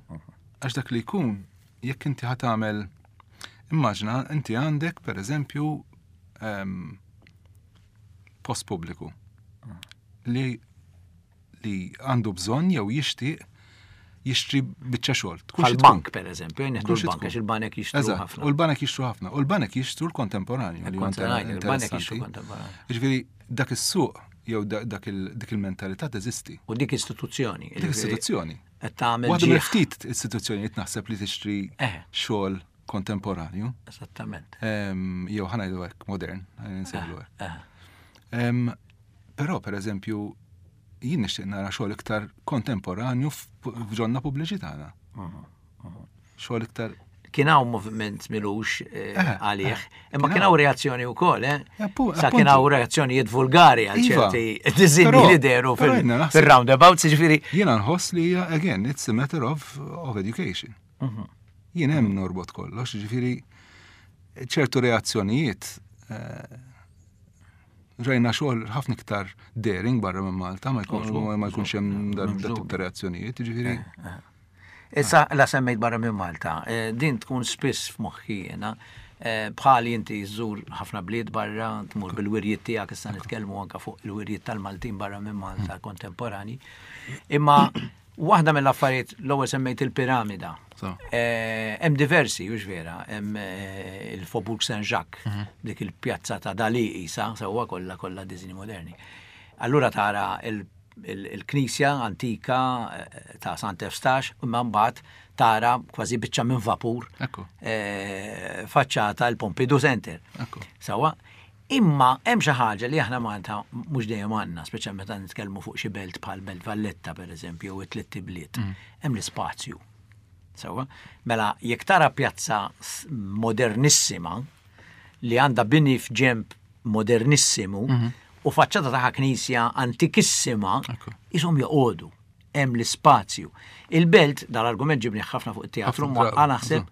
Għax dak li jkun, jekk inti ħa tagħmel, immaġina inti għandek per eżempju em, post pubbliku li li għandu bżonn jew jixtieq jixtri biċċa xogħol. Tkun xi tkun. Bħal-bank per eżempju, nieħdu Tkun xi l-bank tkun. għax il-banek jixtru Eżatt, ħafna. u l-banek jixtru ħafna. U l-banek jixtru l-kontemporanju li huwa Il-kontemporanju, il-banek jixtru interessanti. kontemporanju. Ġifieri dak is-suq jew da- dak il- dik il-mentalità teżisti. U dik istituzzjoni. Dik istituzzjoni. Qed tagħmel Waħda ġieħ. mill-ftit istituzzjonijiet naħseb li tixtri Eh. xogħol kontemporanju. Esattament. Em, Jew ħa ngħidu hekk modern, ħa nsejħlu hekk. Eh, Em, Però per eżempju jien nixtieq nara xogħol iktar kontemporanju f'ġonna pubbliċi tagħna. Xogħol iktar Kien hawn moviment milux eh, Eh, għalih, eh, imma kien kien hawn reazzjoni wkoll, eh? Eh, appu- Sa kien hawn appuntu. reazzjonijiet vulgari għal Iva. ċerti diżinji Però- li deru però fil- jiena naħseb- fil-roundabouts, ġifieri Jiena nħoss li hija, again, it's a matter of, of education. Jien hemm norbot kollox, ġifieri ċertu reazzjonijiet eh, rajna xogħol ħafna iktar daring barra minn Malta, ma jkunx ma jkunx hemm dan dat tip ta' reazzjonijiet, ġifieri Issa la semmejt barra minn Malta, eh, din tkun spiss f'moħħi jiena. Eh, Bħali inti żżur ħafna bliet barra, tmur bil-wirjiet tiegħek, issa nitkellmu anka fuq il-wirjiet tal-Maltin barra minn Malta kontemporani. Imma waħda mill-affarijiet, l-ewwel semmejt il-piramida. So. Eh, Hemm diversi, hux vera, hemm eh, il-Faubourg Saint-Jacques, dik il-pjazza ta' Dali isa, sewwa kollha kollha diżini moderni. Allura tara il- il- il-knisja antika eh, ta' Sant'Eustache, imma mbagħad tara kważi biċċa minn vapur Ekku. eh, faċċata il-Pompidou Center. Ekku. Sewwa, imma hemm xi ħaġa li aħna Malta mhux dejjem għandna, speċjalment meta nitkellmu fuq xi belt bħal Belt Valletta pereżempju jew it-tliet ibliet. Hemm l-ispazju. Sewwa, mela jekk tara pjazza s- modernissima li għandha bini f'ġemp modernissimu u faċċata taħ knisja antikissima, Ekku. ishom joqogħdu hemm l-ispazju. Il-belt, dal-argument ġibni ħafna fuq it-teatru Ħafna mwaqqa drabi, naħseb,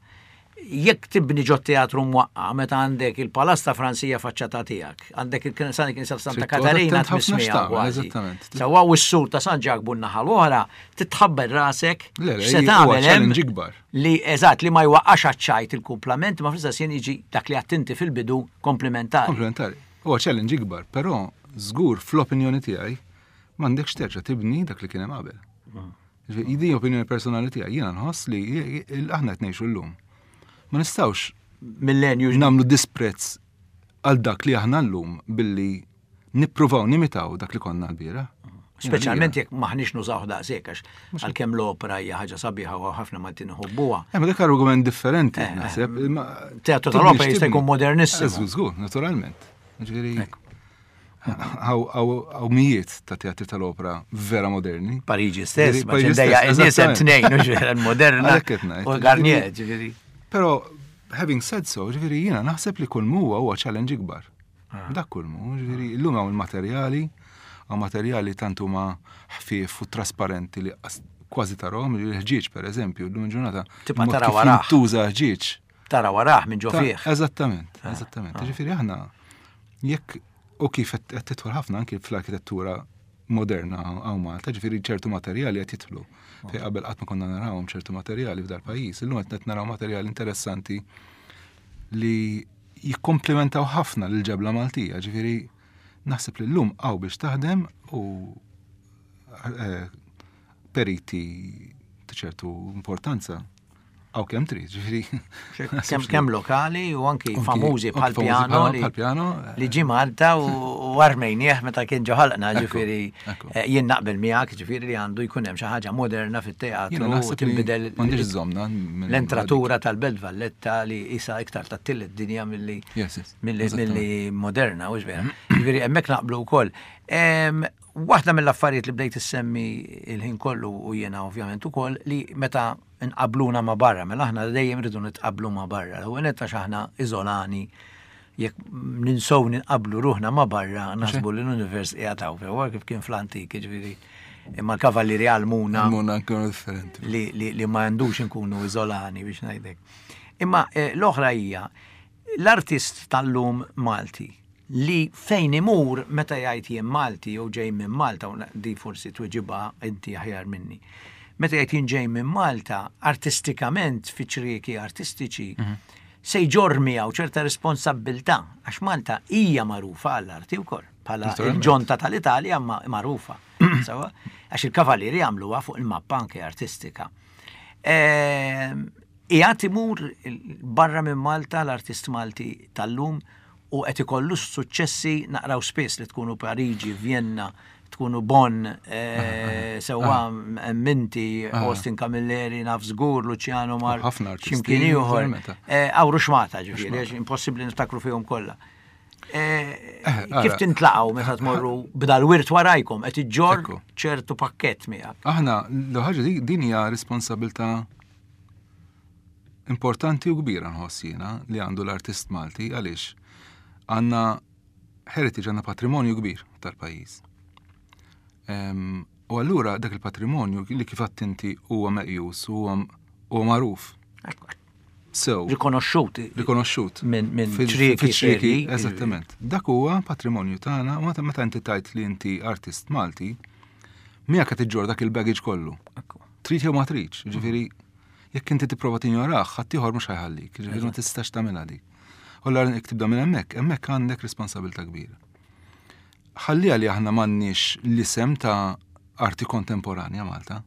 jekk tibni ġo teatru mwaqqa, meta għandek il-Palazz ta' Franzija faċċata tiegħek, għandek il-Knisja ta' Santa Trid toqgħod Katarina attent ħafna tmissmija x'tagħmel, kważi. eżattament. Sewwa u s-sur ta' San Ġakbu n-naħa l-oħra, titħabber rasek Le, le, x'se huwa tagħmel hemm challenge ikbar. li eżatt li ma jwaqqax għaċ-ċajt il-kumplament, ma fl-istess ħin jiġi dak li għattinti fil-bidu komplementari. Komplementari. Huwa challenge ikbar, però żgur fl-opinjoni tiegħi m'għandekx terġa' tibni dak li kien hemm qabel. Ġifieri, din opinjoni personali tiegħi, jiena nħoss li aħna qed ngħixu llum. Ma nistgħux Millenju nagħmlu disprezz għal dak li aħna llum billi nippruvaw nimitaw dak li konna l-bieraħ. Speċjalment jekk maħniex nużaw daqshekk, għax għalkemm l-opera hija ħaġa sabiħa u ħafna Maltin iħobbuha. Eh, ma dak argument differenti, naħseb. Ma- Teatru tibni tal-opera jista' x'tibni. jkun modernissimu. Żgur, żgur, naturalment. Ġifieri, hawn mijiet ta' teatri tal-opera vera moderni. Pariġi stess, ma Pariġi ċendejja stess, n-nies hemm eżattament. tnejn, u ġifieri l-moderna Għalhekk qed ngħid. u Garnier, ġifieri. Però, having said so, ġifieri jiena naħseb li kull huwa huwa challenge ikbar. Dak kull mu, ġifieri illum hawn il-materjali, hawn materjali tant huma ħfief u trasparenti li qas- kważi tarahom, il-ħġieġ per eżempju, llum il-ġurnata. Tibqa' mod tara kif warah. Jintuża ħġieġ. Tara warah minn ġo Ta' fih. Eżattament, eżattament. Ġifieri aħna jekk u kif qed qed tidħol ħafna anki fl-arkitettura moderna hawn Malta, ġifieri ċertu materjali qed jidħlu. Fej qabel qatt ma konna narawhom ċertu materjali f'dal pajjiż, illum qed naraw materjali interessanti li jikkomplementaw ħafna lil ġebla Maltija, ġifieri naħseb li llum hawn biex taħdem u eh, periti ta' ċertu importanza hawn kemm trid, ġifieri. Kemm kemm lokali u anki Anki- famużi anki bħal famużi piano bħal- li bħal piano, li ġi Malta u u armejnieh meta kien ġo ħalqna, Ekku, ġifieri ekku. eh, jien naqbel miegħek, ġifieri li għandu jkun hemm xi ħaġa moderna fit-teatru Jiena u naħseb li tinbidel m'għandix żomna minn- l-entratura tal-Belt Valletta li isa iktar tat-tielet dinja milli Yes, yes, milli eżattament. milli moderna, u vera. Ġifieri hemmhekk naqblu wkoll. Em, Waħda mill-affarijiet li bdejt issemmi il-ħin kollu u jiena ovvjament ukoll li meta nqabluna ma' barra, mela aħna dejjem rridu nitqablu ma' barra. L-ewwel nett għax aħna iżolani, jekk ninsow ninqablu ruħna ma' barra, naħsbu li l-univers qiegħed hawn, huwa kif kien fl-antik, ġifieri. Imma l-kavallieri għallmuna Għallmuna nkunu differenti. li, li, li ma għandux nkunu iżolani biex ngħidlek. Imma eh, l-oħra hija l-artist tal-lum Malti li fejn imur meta jgħid jien Malti jew ġej minn Malta, u di forsi tweġiba inti aħjar minni. Meta jgħid jien ġej minn Malta, artistikament fi ċrieki artistiċi, se jġorr miegħu ċerta responsabbiltà għax Malta hija magħrufa għall-arti wkoll. Bħala Naturalment. il-ġonta tal-Italja ma magħrufa. Sewwa? Għax il-kavallieri għamluha fuq il-mappa anke artistika. Ehm, Qiegħed imur barra minn Malta l-artist Malti tal-lum u qed ikollu suċċessi, naqraw spiss li tkunu Pariġi, Vienna, tkunu Bonn, eh, sewwa Minti, Austin Camilleri, naf żgur, Luciano Mar, Ħafna artisti, x'imkien ieħor. naturalment. Eh, Hawn ruxxmata ġifieri, għax impossibbli niftakru fihom kollha. Eh, Eh, Kif ara. tintlaqgħu meta tmorru b'dal-wirt warajkom qed iġġorr Ekku. ċertu pakkett miegħek? Aħna, l-ħaġa di- din hija responsabilità importanti u kbira nħoss jiena li għandu l-artist Malti, għaliex għandna heritage, għandna patrimonju kbir tal-pajjiż. Em, U allura dak il-patrimonju li kif għedt inti huwa meqjus, huwa huwa magħruf. So, Rikonoxxut. rikonoxxut. Minn min Fil- ċrieki fil-ċrieki, serji. Eżattament. Dak huwa patrimonju tagħna u meta meta inti tajt li inti artist Malti, miegħek qed iġġorr dak il-baggage kollu. Ekku. Trid jew ma tridx, ġifieri jekk inti tipprova tinjorah, ħaddieħor mhux ħa jħallik, ġifieri ma tistax tagħmilha dik. U allura jekk tibda minn hemmhekk, hemmhekk għandek responsabilità kbira. Ħalliha li aħna m'għandniex l-isem ta' arti kontemporanja Malta.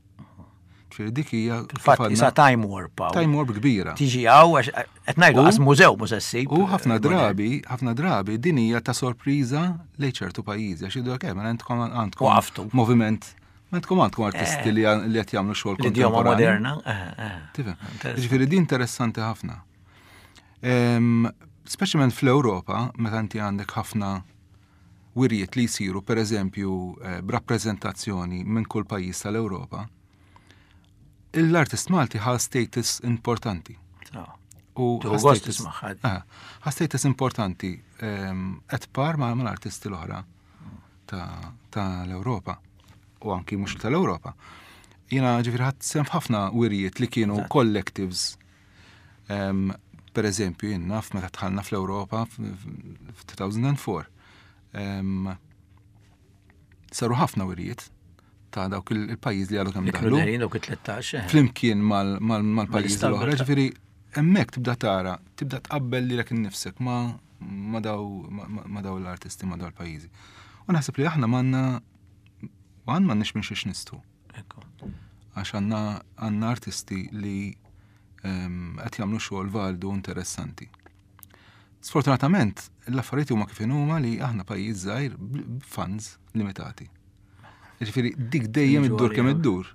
Ġifieri dik hija kif Fil-fatt għadna, isa time warp hawn. Time warp kbira. Tiġi hawn għax qed ngħidu U- qas mużew mhux se ssib. U ħafna drabi, ħafna drabi din hija ta' sorpriża lejn ċertu pajjiżi għax jgħidu kemm għandkom għandkom Waqaftu. moviment, għandkom għandkom artisti li li qed jagħmlu xogħol L-idjoma kontemporanju. moderna. eh, eh. Tifhem? Interessanti. Ġifieri din interessanti ħafna. Em, Speċjalment fl-Ewropa, meta inti għandek ħafna wirjiet li jsiru, per eżempju, eh, b'rappreżentazzjoni minn kull pajjiż tal-Ewropa, l-artist Malti ħa status importanti. So. U Tieħu ħa gost status- tismagħha. Ah, ħa status importanti ehm, at par ma' mal-artisti l-oħra ta' ta' l-Ewropa u anki mhux tal-Ewropa. Jiena ġifieri ħadt sehem f'ħafna wirjiet li kienu Eżatt. collectives. Ehm, per eżempju, jien naf meta dħalna fl-Ewropa f'elfejn u erbgħa, Ehm, saru ħafna wirjiet ta' dawk il- il-pajjiż li għadu kemm Li kienu daħlu derin dawk it-tlettax. eh. flimkien mal- mal- mal-pajjiż Mal-Istanbul, l-oħra, ta' ġifieri hemmhekk tibda tara, tibda tqabbel lilek innifsek ma ma daw ma- ma ma daw l-artisti, ma daw l-pajjiżi. U naħseb li aħna m'għandna għan m'għandniex minn xiex nistu. Għax għandna artisti li qed jagħmlu xogħol validu interessanti. Sfortunatament, l-affarijiet huma kif huma li aħna pajjiż żgħir b'funds limitati. Ġifieri dik dejjem iddur kemm iddur.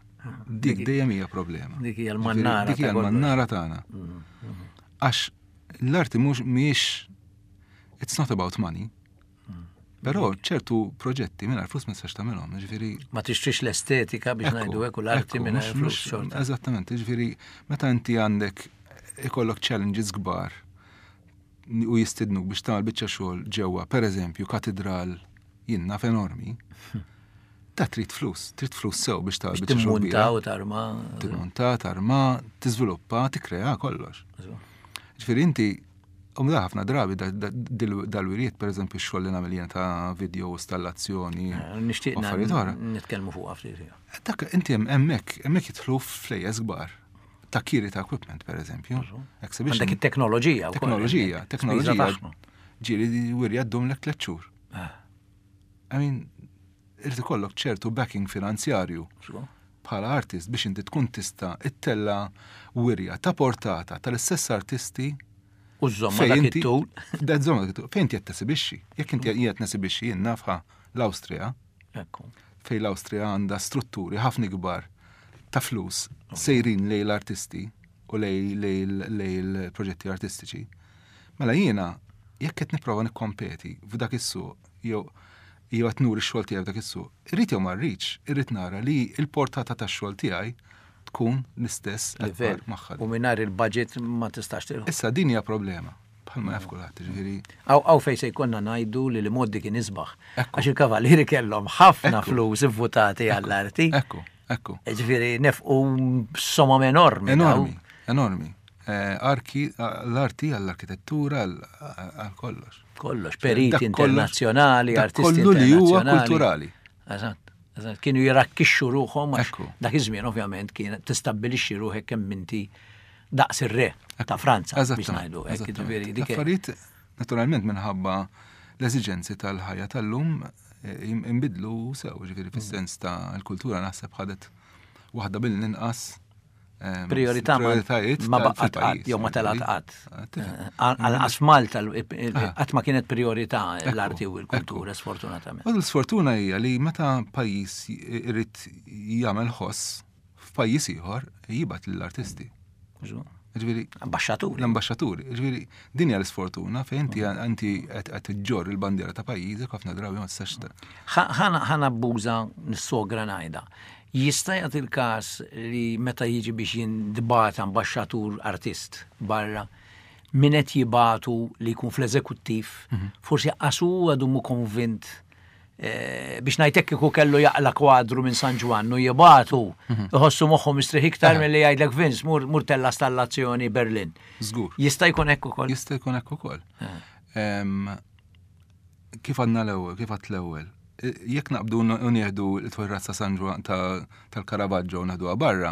Dik dejjem hija problema. Dik hija l-mannara. Dik hija l-mannara tagħna. Għax l-arti mhux mhijiex, it's not about money. Però ċertu proġetti mingħajr flus ma tistax tagħmilhom, ġifieri. Ma tixtrix l-estetika, biex ngħidu hekk, u l-arti mingħajr flus xorta. Eżattament, ġifieri meta inti għandek ikollok challenges kbar u jistidnuk biex tagħmel biċċa xogħol ġewwa, pereżempju, katedral jien naf enormi, ta' trid flus, trid flus sew biex tagħmel biċċa xogħol. Timmunta u tarma. Timmunta, tarma, tiżviluppa, tikkrea kollox. Ġifieri inti u da ħafna drabi dal-wiriet, per eżempju, xogħol li nagħmel jien ta' video installazzjoni. Eh, nixtieq nitkellmu fuq ftit. Dak inti hemmhekk, hemmhekk jidħlu flejjes kbar. Ta' kiri ta' equipment, per eżempju. Għandek it-teknoloġija. Teknoloġija, teknoloġija. Ġieli wirja ddum lek tliet xhur. Eh. I mean, irid ikollok ċertu backing finanzjarju bħala artist biex inti tkun tista' ittella wirja ta' portata tal-istess artisti. U żomma dak it-tul. Da żomma dak it-tul. Fejn inti qed tesibixxi? Jekk inti qed nesibixxi jien nafha l-Awstrija. Fejn l-Awstrija għandha strutturi ħafna kbar ta' flus sejrin lejn l-artisti u lejn l-proġetti artistiċi. Mela jiena jekk qed nipprova nikkompeti f'dak is-suq jew jew qed nuri x-xogħol tiegħi f'dak is-suq, irrid jew ma rridx, irrid nara li l-portata tax-xogħol tiegħi tkun l-istess livell magħha. U mingħajr il-budget ma tistax tilħu. Issa din hija problema. Bħalma jaf kulħadd, ġifieri. Hawn fejn se jkollna ngħidu li li moddi kien isbaħ. Għax il-kavallieri kellhom ħafna flus ivvutati għall-arti. Ekku, ekku. Ġifieri nefqu somom enormi. Enormi, enormi. Arki, l-arti għall-arkitettura, għal kollox. Kollox, periti internazzjonali, artisti kollu li huwa kulturali. Eżatt. Kienu jirakkixxu ruħhom għax dak iż-żmien ovvjament kien tistabbilixxi ruħek kemm inti daqs ir-re ta' Franza, biex ngħidu hekk. Ġifieri dik. Affarijiet naturalment minħabba l-eżiġenzi tal-ħajja tal-lum inbidlu sew, ġifieri fis-sens ta' l-kultura naħseb ħadet waħda mill-inqas priorità ma baqgħet qatt jew ma telgħet qatt. Għalqas f'Malta qatt ma kienet priorità l-arti u l-kultura, sfortunatament. U l-sfortuna hija li meta pajjiż irid jagħmel ħoss f'pajjiż ieħor jibgħat lill-artisti. Ġifieri ambaxxaturi. L-ambaxxaturi. Ġifieri din hija l-isfortuna fejn inti inti qed iġġorr il-bandiera ta' pajjiżek ħafna drabi ma tistax. Ħa nabbuża nissogra ngħidha. Jista' jagħti il-każ li meta jiġi biex jintbagħat ambaxxatur artist barra, min qed jibatu li jkun fl-eżekuttiv, forsi qasu għadu mu konvint biex ngħidlek kieku kellu jaqla kwadru minn San Ġwann u jibatu, iħossu moħħu mistrieħ iktar milli jgħidlek Vince mur tella stallazzjoni Berlin. Żgur. Jista' jkun hekk ukoll. Jista' jkun hekk ukoll. Kif għadna l-ewwel, kif għadt l-ewwel. Jekk naqbdu u nieħdu l-torrazza San Ġwann tal-Caravaggio u naħduha barra,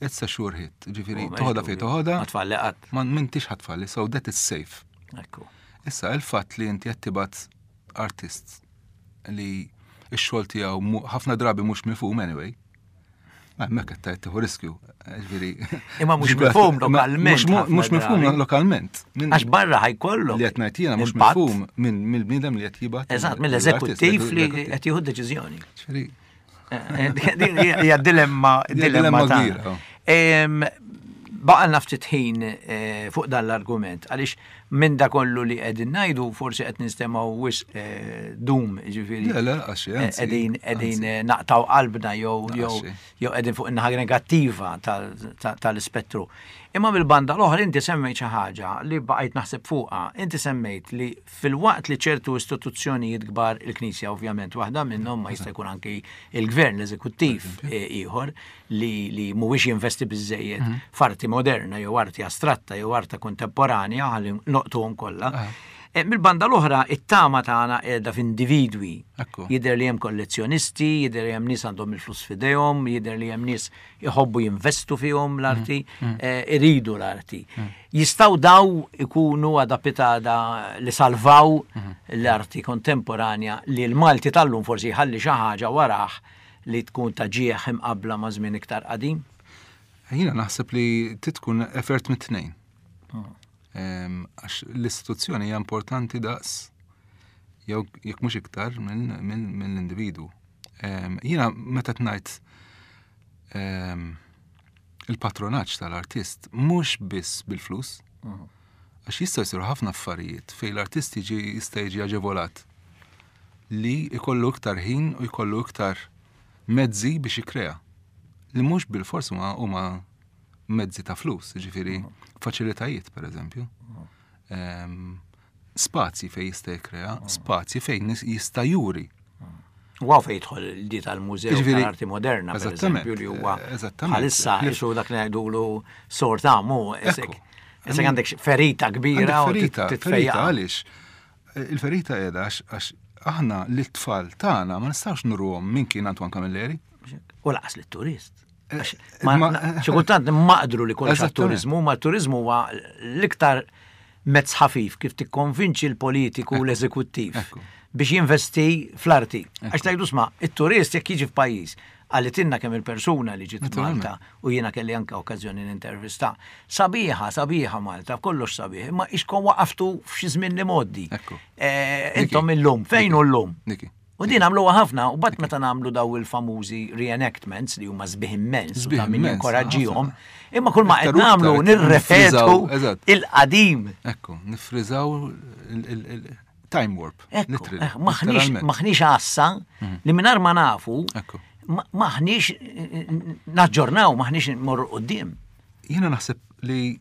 it's a sure hit. Ġifieri toħodha fejn toħodha. Ma tfalli qatt. Ma m'intix ħatfalli, so that is safe. Ekku. Issa il-fatt li inti qed tibgħat artist li x-xogħol tiegħu ħafna drabi mhux mifhum anyway. Ma hemmhekk qed tieħu riskju. Ġifieri. Imma mhux mifhum lokalment. Mhux mifhum lokalment. Għax barra ħajkollu. Li qed ngħid jiena mhux mifhum mill-bniedem li qed jibgħat. Eżatt, mill-eżekuttiv li qed jieħu deċiżjoni. Ġifieri. Din hija dilemma dilemma kbira. Baqalna ftit ħin fuq dan l-argument, għaliex minn da kollu li qegħdin ngħidu forsi qed nistemgħu wisq dum, ġifieri. Le, le, għax, anzi, Qegħdin, qegħdin naqtaw qalbna jew jew jew qegħdin fuq in-naħa negattiva tal-ispettru. Imma mill-banda l-oħra inti semmejt xi ħaġa li baqajt naħseb fuqha. Inti semmejt li fil-waqt li ċertu istituzzjonijiet kbar, il-Knisja ovvjament waħda minnhom, ma jista' jkun anki il-gvern, l-eżekuttiv ieħor li, li mhuwiex jinvesti biżejjed f'arti moderna jew arti astratta jew arti kontemporanja, ħalli noqtuhom kollha. Mill-banda l-oħra, it-tama tagħna qiegħda f'individwi. Jidher li hemm kollezzjonisti, jidher li hemm nies għandhom il-flus f'idejhom, jidher li hemm nies iħobbu jinvestu fihom l-arti, iridu l-arti. Jistgħu daw ikunu adapitada li salvaw l-arti kontemporanja li l-Malti tal-lum forsi jħalli xi ħaġa warah li tkun ta' ġieħ imqabbla ma' żmien iktar qadim? Jiena naħseb li titkun effort mit-tnejn. Għax l-istituzzjoni hija importanti daqs jew jekk mhux iktar mill-individwu. Jiena meta tnajt il-patronaġġ tal-artist mhux biss bil-flus, għax jistgħu jsiru ħafna affarijiet fejn l-artist jiġi jista' jiġi aġevolat li jkollu iktar ħin u jkollu iktar mezzi biex jikkrea. Li mhux bil-fors huma mezzi ta' flus, jiġifieri faċilitajiet pereżempju. Spazji fejn jista' jikkrea, spazji fejn jista' juri. Wow, fejn jidħol di tal-Mużew tal-Arti Moderna, per eżempju, li huwa bħalissa isu dak li ngħidulu sortamu, isek għandek ferita kbira u ferita għaliex. Il-ferita qiegħda għax aħna l-tfal tagħna ma nistgħux nurruhom min kien Antoine Camilleri. U laqas lit-turist. Xi kultant maqdru li kollox għat-turiżmu, ma t-turiżmu huwa l-iktar mezz ħafif kif tikkonvinċi l-politiku u l-eżekuttiv biex jinvesti fl-arti. Għax tgħidu sma, it-turist jekk jiġi f'pajjiż, għalitinna kemm il-persuna li ġiet Malta u jiena kelli anke okkażjoni nintervista. Sabiħa, sabiħa Malta, kollox sabiħ, imma ixkom waqaftu f'xi żmien li mgħoddi. Intom illum, fejn hu llum? U din għamluha ħafna, u bat meta nagħmlu daw il-famużi reenactments li huma sbieħ immens, u ta' min jinkoraġġihom, imma kull ma qed nagħmlu nirrepetu il-qadim. Ekku, nifriżaw il-time warp. Maħniex għassa li mingħajr ma nafu, maħniex naġġornaw, maħniex nmorru quddiem. Jiena naħseb li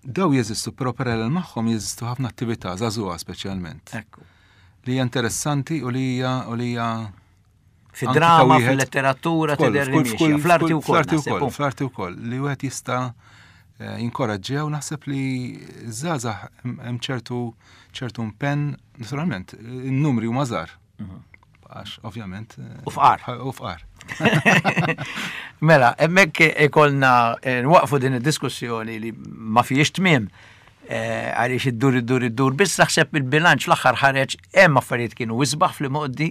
daw jeżistu, però parallel magħhom jeżistu ħafna attività żagħżugħa speċjalment. Ekku. Li hija interessanti u li hija u li hija fid-drama, fil-letteratura, tidher li mixja, fl-arti wkoll. Fl-arti wkoll, fl-arti wkoll li wieħed jista' jinkoraġġew, naħseb li żgħażagħ hemm ċertu ċertu impenn, naturalment, in-numri huma żgħar. Għax ovvjament. U fqar. U fqar. Mela, hemmhekk ikollna nwaqfu din id-diskussjoni li ma fihiex tmiem. Għaliex iddur iddur iddur, biss naħseb il-bilanċ l-aħħar ħareġ hemm affarijiet kienu isbaħ fl-imgħoddi,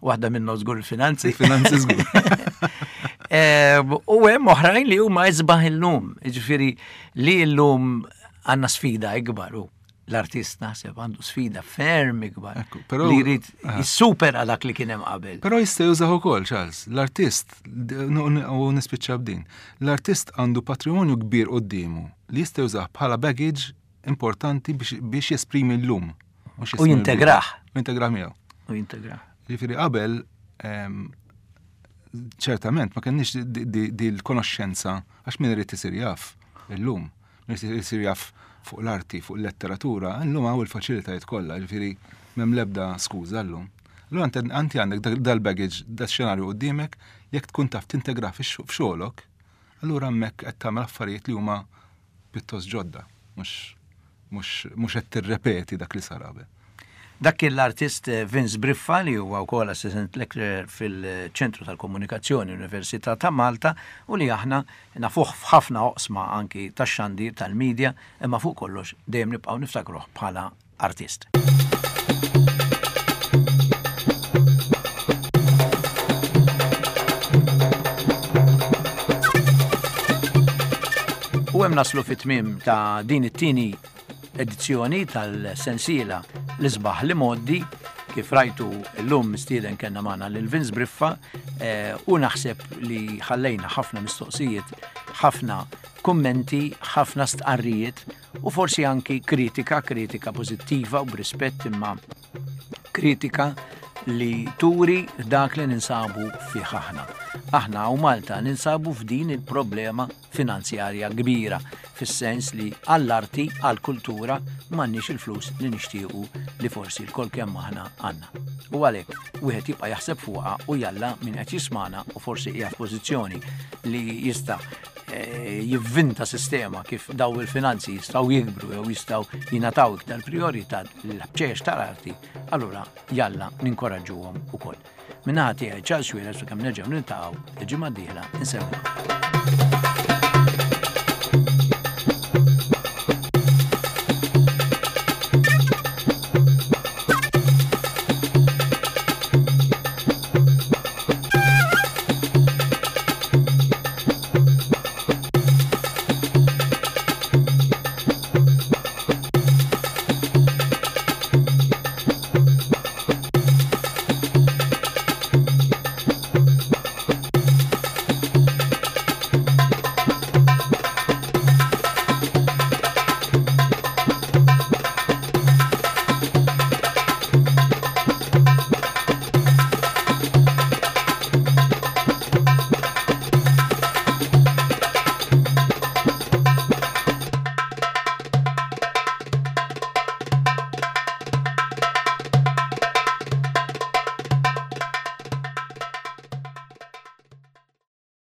waħda minnhom żgur il-finanzi. Il-finanzi żgur. U hemm oħrajn li huma isbaħ illum, jiġifieri li llum għandna sfida ikbar u l-artist naħseb għandu sfida ferm ikbar li jrid jissupera dak li kien hemm qabel. Però jista' jużah ukoll, Charles, l-artist, u nispiċċa b'din, l-artist għandu patrimonju kbir quddiemu li jista' jużah bħala baggage importanti biex jesprimi l-lum. U jintegrah. U jintegrah miegħu. U jintegrah. Ġifieri qabel ċertament ma kenniex di l-konoxxenza għax min irid isir jaf illum, min irid isir jaf fuq l-arti, fuq il-letteratura, illum hawn il-faċilitajiet kollha, ġifieri m'hemm l-ebda skuża llum. Allura anti għandek dal-baggage, dal-xenarju quddiemek, jekk tkun taf tintegrah f'xogħolok, allura hemmhekk qed tagħmel affarijiet li huma pjuttost ġodda, mhux mhux qed tirrepeti dak li sar qabel. Dak kien l-artist Vince Briffa li huwa wkoll assistant lecturer fil-Ċentru tal-Komunikazzjoni Università ta' Malta u li aħna nafuh f'ħafna oqsma anki tax-xandir tal-medja, imma fuq kollox dejjem nibqgħu niftakruh bħala artist. U hemm naslu fit-tmiem ta' din it-tieni edizzjoni tal-sensiela l-isbaħ li moddi. Kif rajtu llum mistieden kellna magħna lil Vince Briffa u naħseb li ħallejna ħafna mistoqsijiet, ħafna kummenti, ħafna stqarrijiet u forsi anki kritika, kritika pożittiva u b'rispett, imma kritika li turi dak li ninsabu fih aħna. Aħna u Malta ninsabu f'din il-problema finanzjarja kbira, fis-sens li għall-arti, għall-kultura m'għandniex il-flus li nixtiequ li forsi l-kol kemm aħna għandna. U għalhekk wieħed jibqa' jaħseb fuqha u jalla min qed jismana u forsi hija f'pożizzjoni li jista' jivvinta sistema kif daw il-finanzi jistgħu jikbru jew jistgħu jingħataw iktar priorità l-ħċiex tal-arti, allura jalla ninkoraġġuhom ukoll. Minnaħa tiegħi Charles Xuereb, sakemm nerġgħu niltaqgħu il-ġimgħa d-dieħla, insellmilkom.